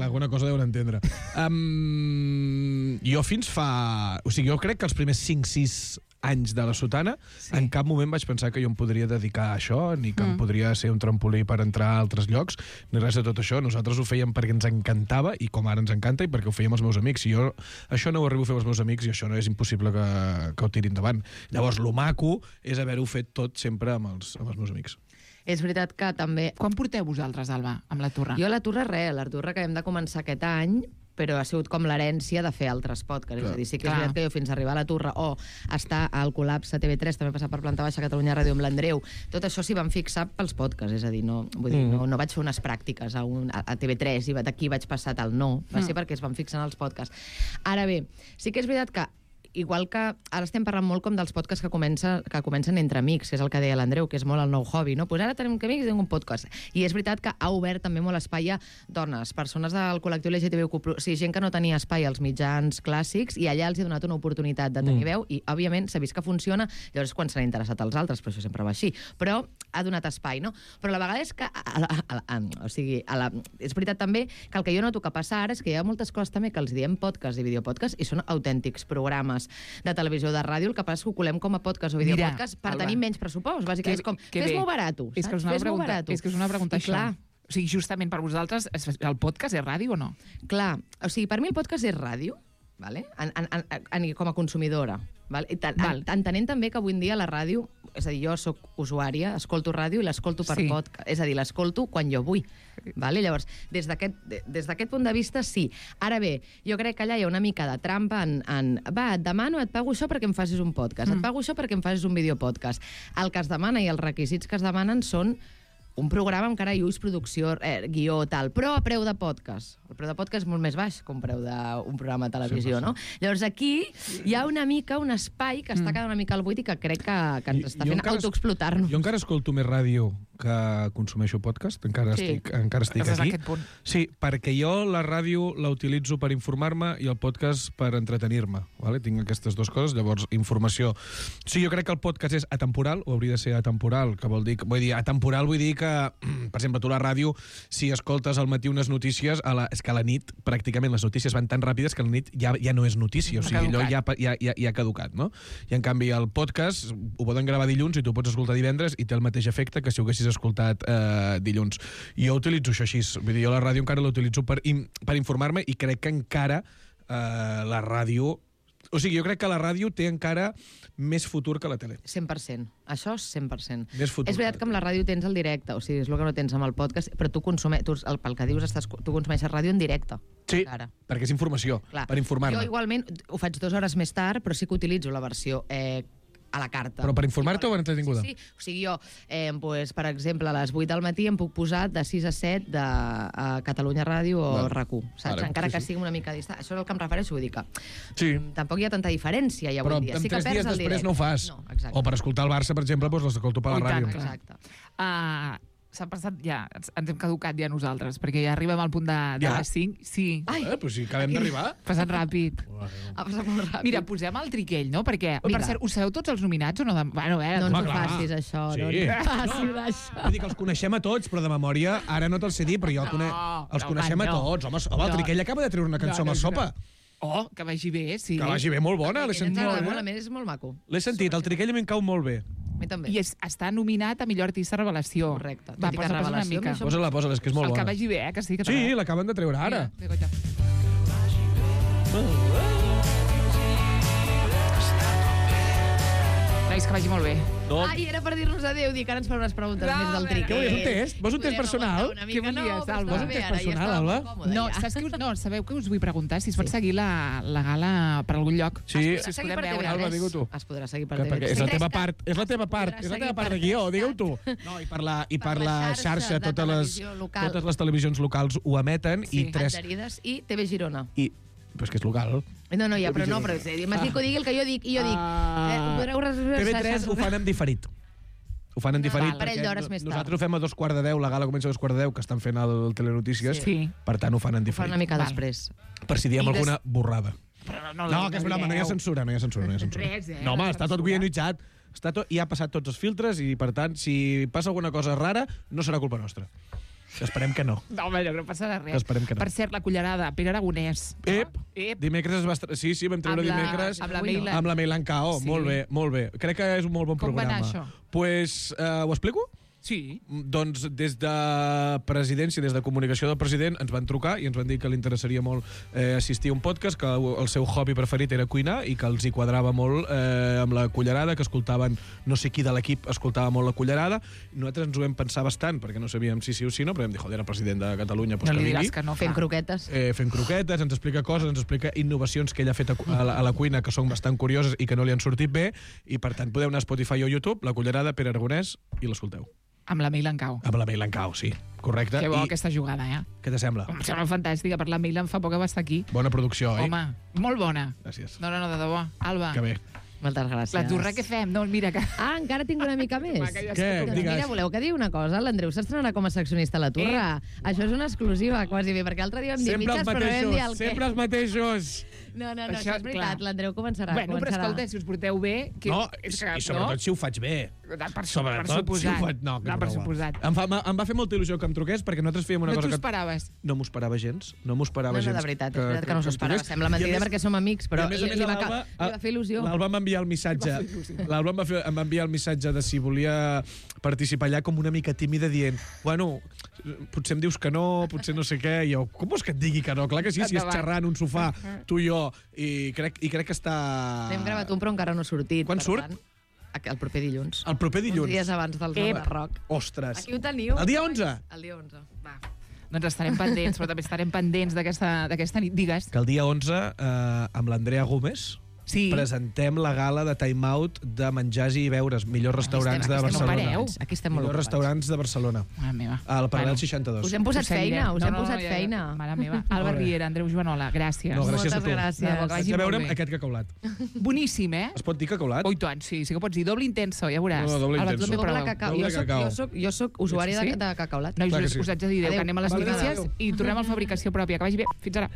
alguna cosa deuen entendre. Jo fins fa... O sigui, jo crec que els primers 5-6 anys de la sotana, en cap moment vaig pensar que jo em podria dedicar a això, ni que em podria ser un trampolí per entrar a altres llocs, ni res de tot això. Nosaltres ho fèiem perquè ens encantava, i com ara ens encanta, i perquè ho fèiem els meus amics. Si jo això no ho arribo a fer amb els meus amics, i això no és impossible que ho tiri endavant. Llavors, lo maco és haver-ho fet tot sempre amb els meus amics.
És veritat que també...
Quan porteu vosaltres, Alba, amb la Turra?
Jo a la Turra que hem de començar aquest any, però ha sigut com l'herència de fer altres podcasts. És a dir, sí que és veritat que jo fins a arribar a la Turra o estar al Col·lapse a TV3, també passar per Planta Baixa Catalunya Ràdio amb l'Andreu, tot això s'hi van fixar pels podcasts, és a dir, no vaig fer unes pràctiques a TV3 i d'aquí vaig passar tal, no, va ser perquè es van fixar en els podcasts. Ara bé, sí que és veritat que igual que ara estem parlant molt com dels podcasts que comencen entre amics, que és el que deia l'Andreu, que és molt el nou hobby, no? Pues ara tenim amics i tenim un podcast. I és veritat que ha obert també molt espai a dones, persones del col·lectiu LGTBIQ+, o sigui, gent que no tenia espai als mitjans clàssics, i allà els ha donat una oportunitat de tenir veu, i òbviament s'ha vist que funciona, llavors quan s'han interessat als altres, però això sempre va així. Però ha donat espai, no? Però la vegada és que... és veritat també que el que jo noto que passa ara és que hi ha moltes coses també que els diem podcast i videopodcast i són autèntics programes de televisió o de ràdio, el que passa és que ho colem com a podcast o videopodcast per tenir menys pressupost. Bàsicament és com, fes-m'ho barato.
És que és una pregunta això. O sigui, justament per vosaltres, el podcast és ràdio o no?
Clar, o sigui, per mi el podcast és ràdio, vale? Com a consumidora. Entenent també que avui en dia la ràdio, és a dir, jo soc usuària, escolto ràdio i l'escolto per podcast, és a dir, l'escolto quan jo vull. Llavors, des d'aquest punt de vista, sí. Ara bé, jo crec que allà hi ha una mica de trampa et demano, et pago això perquè em facis un podcast, et pago això perquè em facis un videopodcast. El que es demana i els requisits que es demanen són un programa amb cara i ulls, producció, guió, tal, però a preu de podcast. El preu de podcast és molt més baix que un preu d'un programa de televisió, no? Llavors aquí hi ha una mica un espai que està quedant una mica al buit i que crec que ens està fent autoexplotar-nos.
Jo encara escolto més ràdio que consumeixo podcast, encara estic aquí. Sí, perquè jo la ràdio la utilitzo per informar-me i el podcast per entretenir-me. Tinc aquestes dues coses, llavors informació. Sí, jo crec que el podcast és atemporal, o hauria de ser atemporal, que vol dir atemporal vull dir que, per exemple, tu a la ràdio, si escoltes al matí unes notícies, és que a la nit pràcticament les notícies van tan ràpides que a la nit ja no és notícia, o sigui, allò ja ha caducat, no? I en canvi el podcast ho poden gravar dilluns i tu pots escoltar divendres i té el mateix efecte que si ho haguessis escoltat dilluns. I jo utilitzo això així, vull dir, jo la ràdio encara la utilitzo per informar-me i crec que encara la ràdio... O sigui, jo crec que la ràdio té encara més futur que la tele.
100%. Això és 100%.
Més futur.
És veritat que amb la ràdio tens el directe, o sigui, és el que no tens amb el podcast, però tu pel que dius, tu consumeixes ràdio en directe.
Sí, perquè és informació, per informar-me.
Jo igualment ho faig 2 hores més tard, però sí que utilitzo la versió a la carta.
Però per informar-te o entretinguda?
Sí. O sigui, jo, pues, per exemple, a les 8 del matí em puc posar de 6 a 7 de Catalunya Ràdio o RAC1, saps? Encara que sigui una mica distant. Això és el que em refereixo, vull dir que tampoc hi ha tanta diferència ja avui dia.
Però en 3 dies després no ho fas. O per escoltar el Barça, per exemple, doncs l'escolto per la ràdio.
Exacte.
S'ha passat ja, ens hem caducat ja nosaltres, perquè ja arribem al punt de les 5. Sí.
Però si acabem d'arribar.
Ha passat ràpid.
Ha passat molt ràpid.
Mira, posem el Triquell, no? Perquè, per cert, us sabeu tots els nominats o no?
Bueno, no ens ho facis, això.
Sí.
No ens ho facis, això.
Vull dir que els coneixem a tots, però de memòria ara no te'ls sé dir, però jo els coneixem a tots. Home, el Triquell acaba de treure una cançó amb el Sopa.
Oh, que vagi bé, sí.
Que vagi bé, molt bona, l'he sentit.
A més, és molt maco.
L'he sentit, el Triquell a mi em cau molt bé.
A mi també.
I està nominat a millor artista revelació.
Correcte.
Va, posa una mica.
Posa-la, és que és molt bona.
El que vagi bé, que sí.
Sí, l'acaben de treure ara.
Nois, que vagi molt bé.
Ai, era per dir-nos adéu, dir que ara ens farà unes preguntes més del Triquell.
Què volies, un test? Vols un test personal?
Què volies, Alba?
Vols un test personal, Alba?
No, sabeu què us vull preguntar? Si es pot seguir la gala per algun lloc.
Sí.
Si us podem veure.
Alba, digue-ho tu.
Es podrà seguir per TV3.
És la teva part, és la teva part de guió, digue-ho tu. No, i per la xarxa, totes les televisions locals ho emeten i 3...
Adherides i TV Girona.
Però és que és local.
No, però m'has dit que digui el que jo dic, i jo dic...
TV3 ho fan en diferit. Ho fan en diferit.
Un parell d'hores més tard.
Nosaltres ho fem a 2:15, la gala comença a 2:15, que estan fent el Telenotícies.
Sí.
Per tant, ho fan en diferit.
Ho fan una mica després.
Per si diem alguna borrada.
No,
que és broma, no hi ha censura.
Res,
No, home, està tot guionitzat. I ha passat tots els filtres i, per tant, si passa alguna cosa rara, no serà culpa nostra. Esperem que no.
No, home, no passarà res.
Esperem que no.
Per cert, la cullerada, Pere Aragonès.
Dimecres es va... Sí, vam treure dimecres amb la Meilan Cao. Molt bé. Crec que és un molt bon programa.
Com va anar això?
Pues, ho explico?
Sí.
Doncs des de presidència, des de comunicació del president, ens van trucar i ens van dir que li interessaria molt assistir a un podcast, que el seu hobby preferit era cuinar i que els hi quadrava molt amb la cullerada, que escoltaven, no sé qui de l'equip escoltava molt la cullerada. Nosaltres ens ho vam pensar bastant, perquè no sabíem si sí o si no, però vam dir, joder, el president de Catalunya, doncs
no
que
li diràs que no fa.
Fent croquetes.
Fent croquetes, ens explica coses, ens explica innovacions que ell ha fet a la cuina, que són bastant curioses i que no li han sortit bé, i per tant podeu anar a Spotify o YouTube, la cullerada, Pere Aragonès, i l'escolteu.
Amb la Meilan Cao.
Amb la Meilan Cao, sí. Correcte.
Que bo aquesta jugada,
Què t'assembla?
Em sembla fantàstica. Per la Meilan fa poc que va estar aquí.
Bona producció, oi?
Home, molt bona.
Gràcies.
No, de debò. Alba.
Que bé.
Moltes gràcies.
La turra que fem, no, mira que...
Encara tinc una mica més.
Què? Digues.
Mira, voleu que digui una cosa? L'Andreu s'estrenarà com a seccionista a la turra. Això és una exclusiva, quasi bé, perquè l'altre dia vam dir mitges, però no vam dir el què.
Sempre els mateixos.
No, això és veritat, l'Andreu començarà.
Bueno, però escolta, si us porteu bé...
No, i sobretot si ho faig bé.
Per suposat.
No,
per suposat.
Em va fer molta il·lusió que em truqués, perquè nosaltres fèiem una cosa que...
No t'ho esperaves?
No m'ho esperava gens. No, de
veritat, és veritat que no s'ho esperava. Sembla mentida perquè som amics, però li va fer il·lusió.
L'Alba m'envia el missatge. L'Alba em va enviar el missatge de si volia participar allà com una mica tímida, dient, bueno, potser em dius que no, potser no sé què, i jo, com vols que et digui que no? Clar que sí, si és xerrar en un sofà, tu i jo, i crec que està...
N'hem gravat un, però encara no ha sortit.
Quan surt?
El proper dilluns.
El proper dilluns?
Uns dies abans del Nova Rock.
Ostres.
Aquí ho teniu.
El dia 11?
El dia 11. Va.
Doncs estarem pendents, però també estarem pendents d'aquesta nit. Digues.
Que el dia 11, amb l'Andrea Gómez, presentem la gala de Time Out de menjars i beures, millors restaurants de Barcelona.
Aquí estem molt
millors restaurants de Barcelona.
Mare meva.
Al Paral·lel 62.
Us hem posat feina, Mare
meva. Alba Riera, Andreu Joanola, gràcies.
No, gràcies a tu.
Gràcies.
A veure aquest cacaulat.
Boníssim, eh?
Es pot dir cacaulat?
Oh, i tant, sí que pots dir. Doble intenso, ja veuràs.
No, doble intenso.
Jo soc usuària de cacaulat.
Nois, us haig de dir adéu, que anem a les notícies i tornem a la fabricació pròpia. Que vagi bé. Fins ara.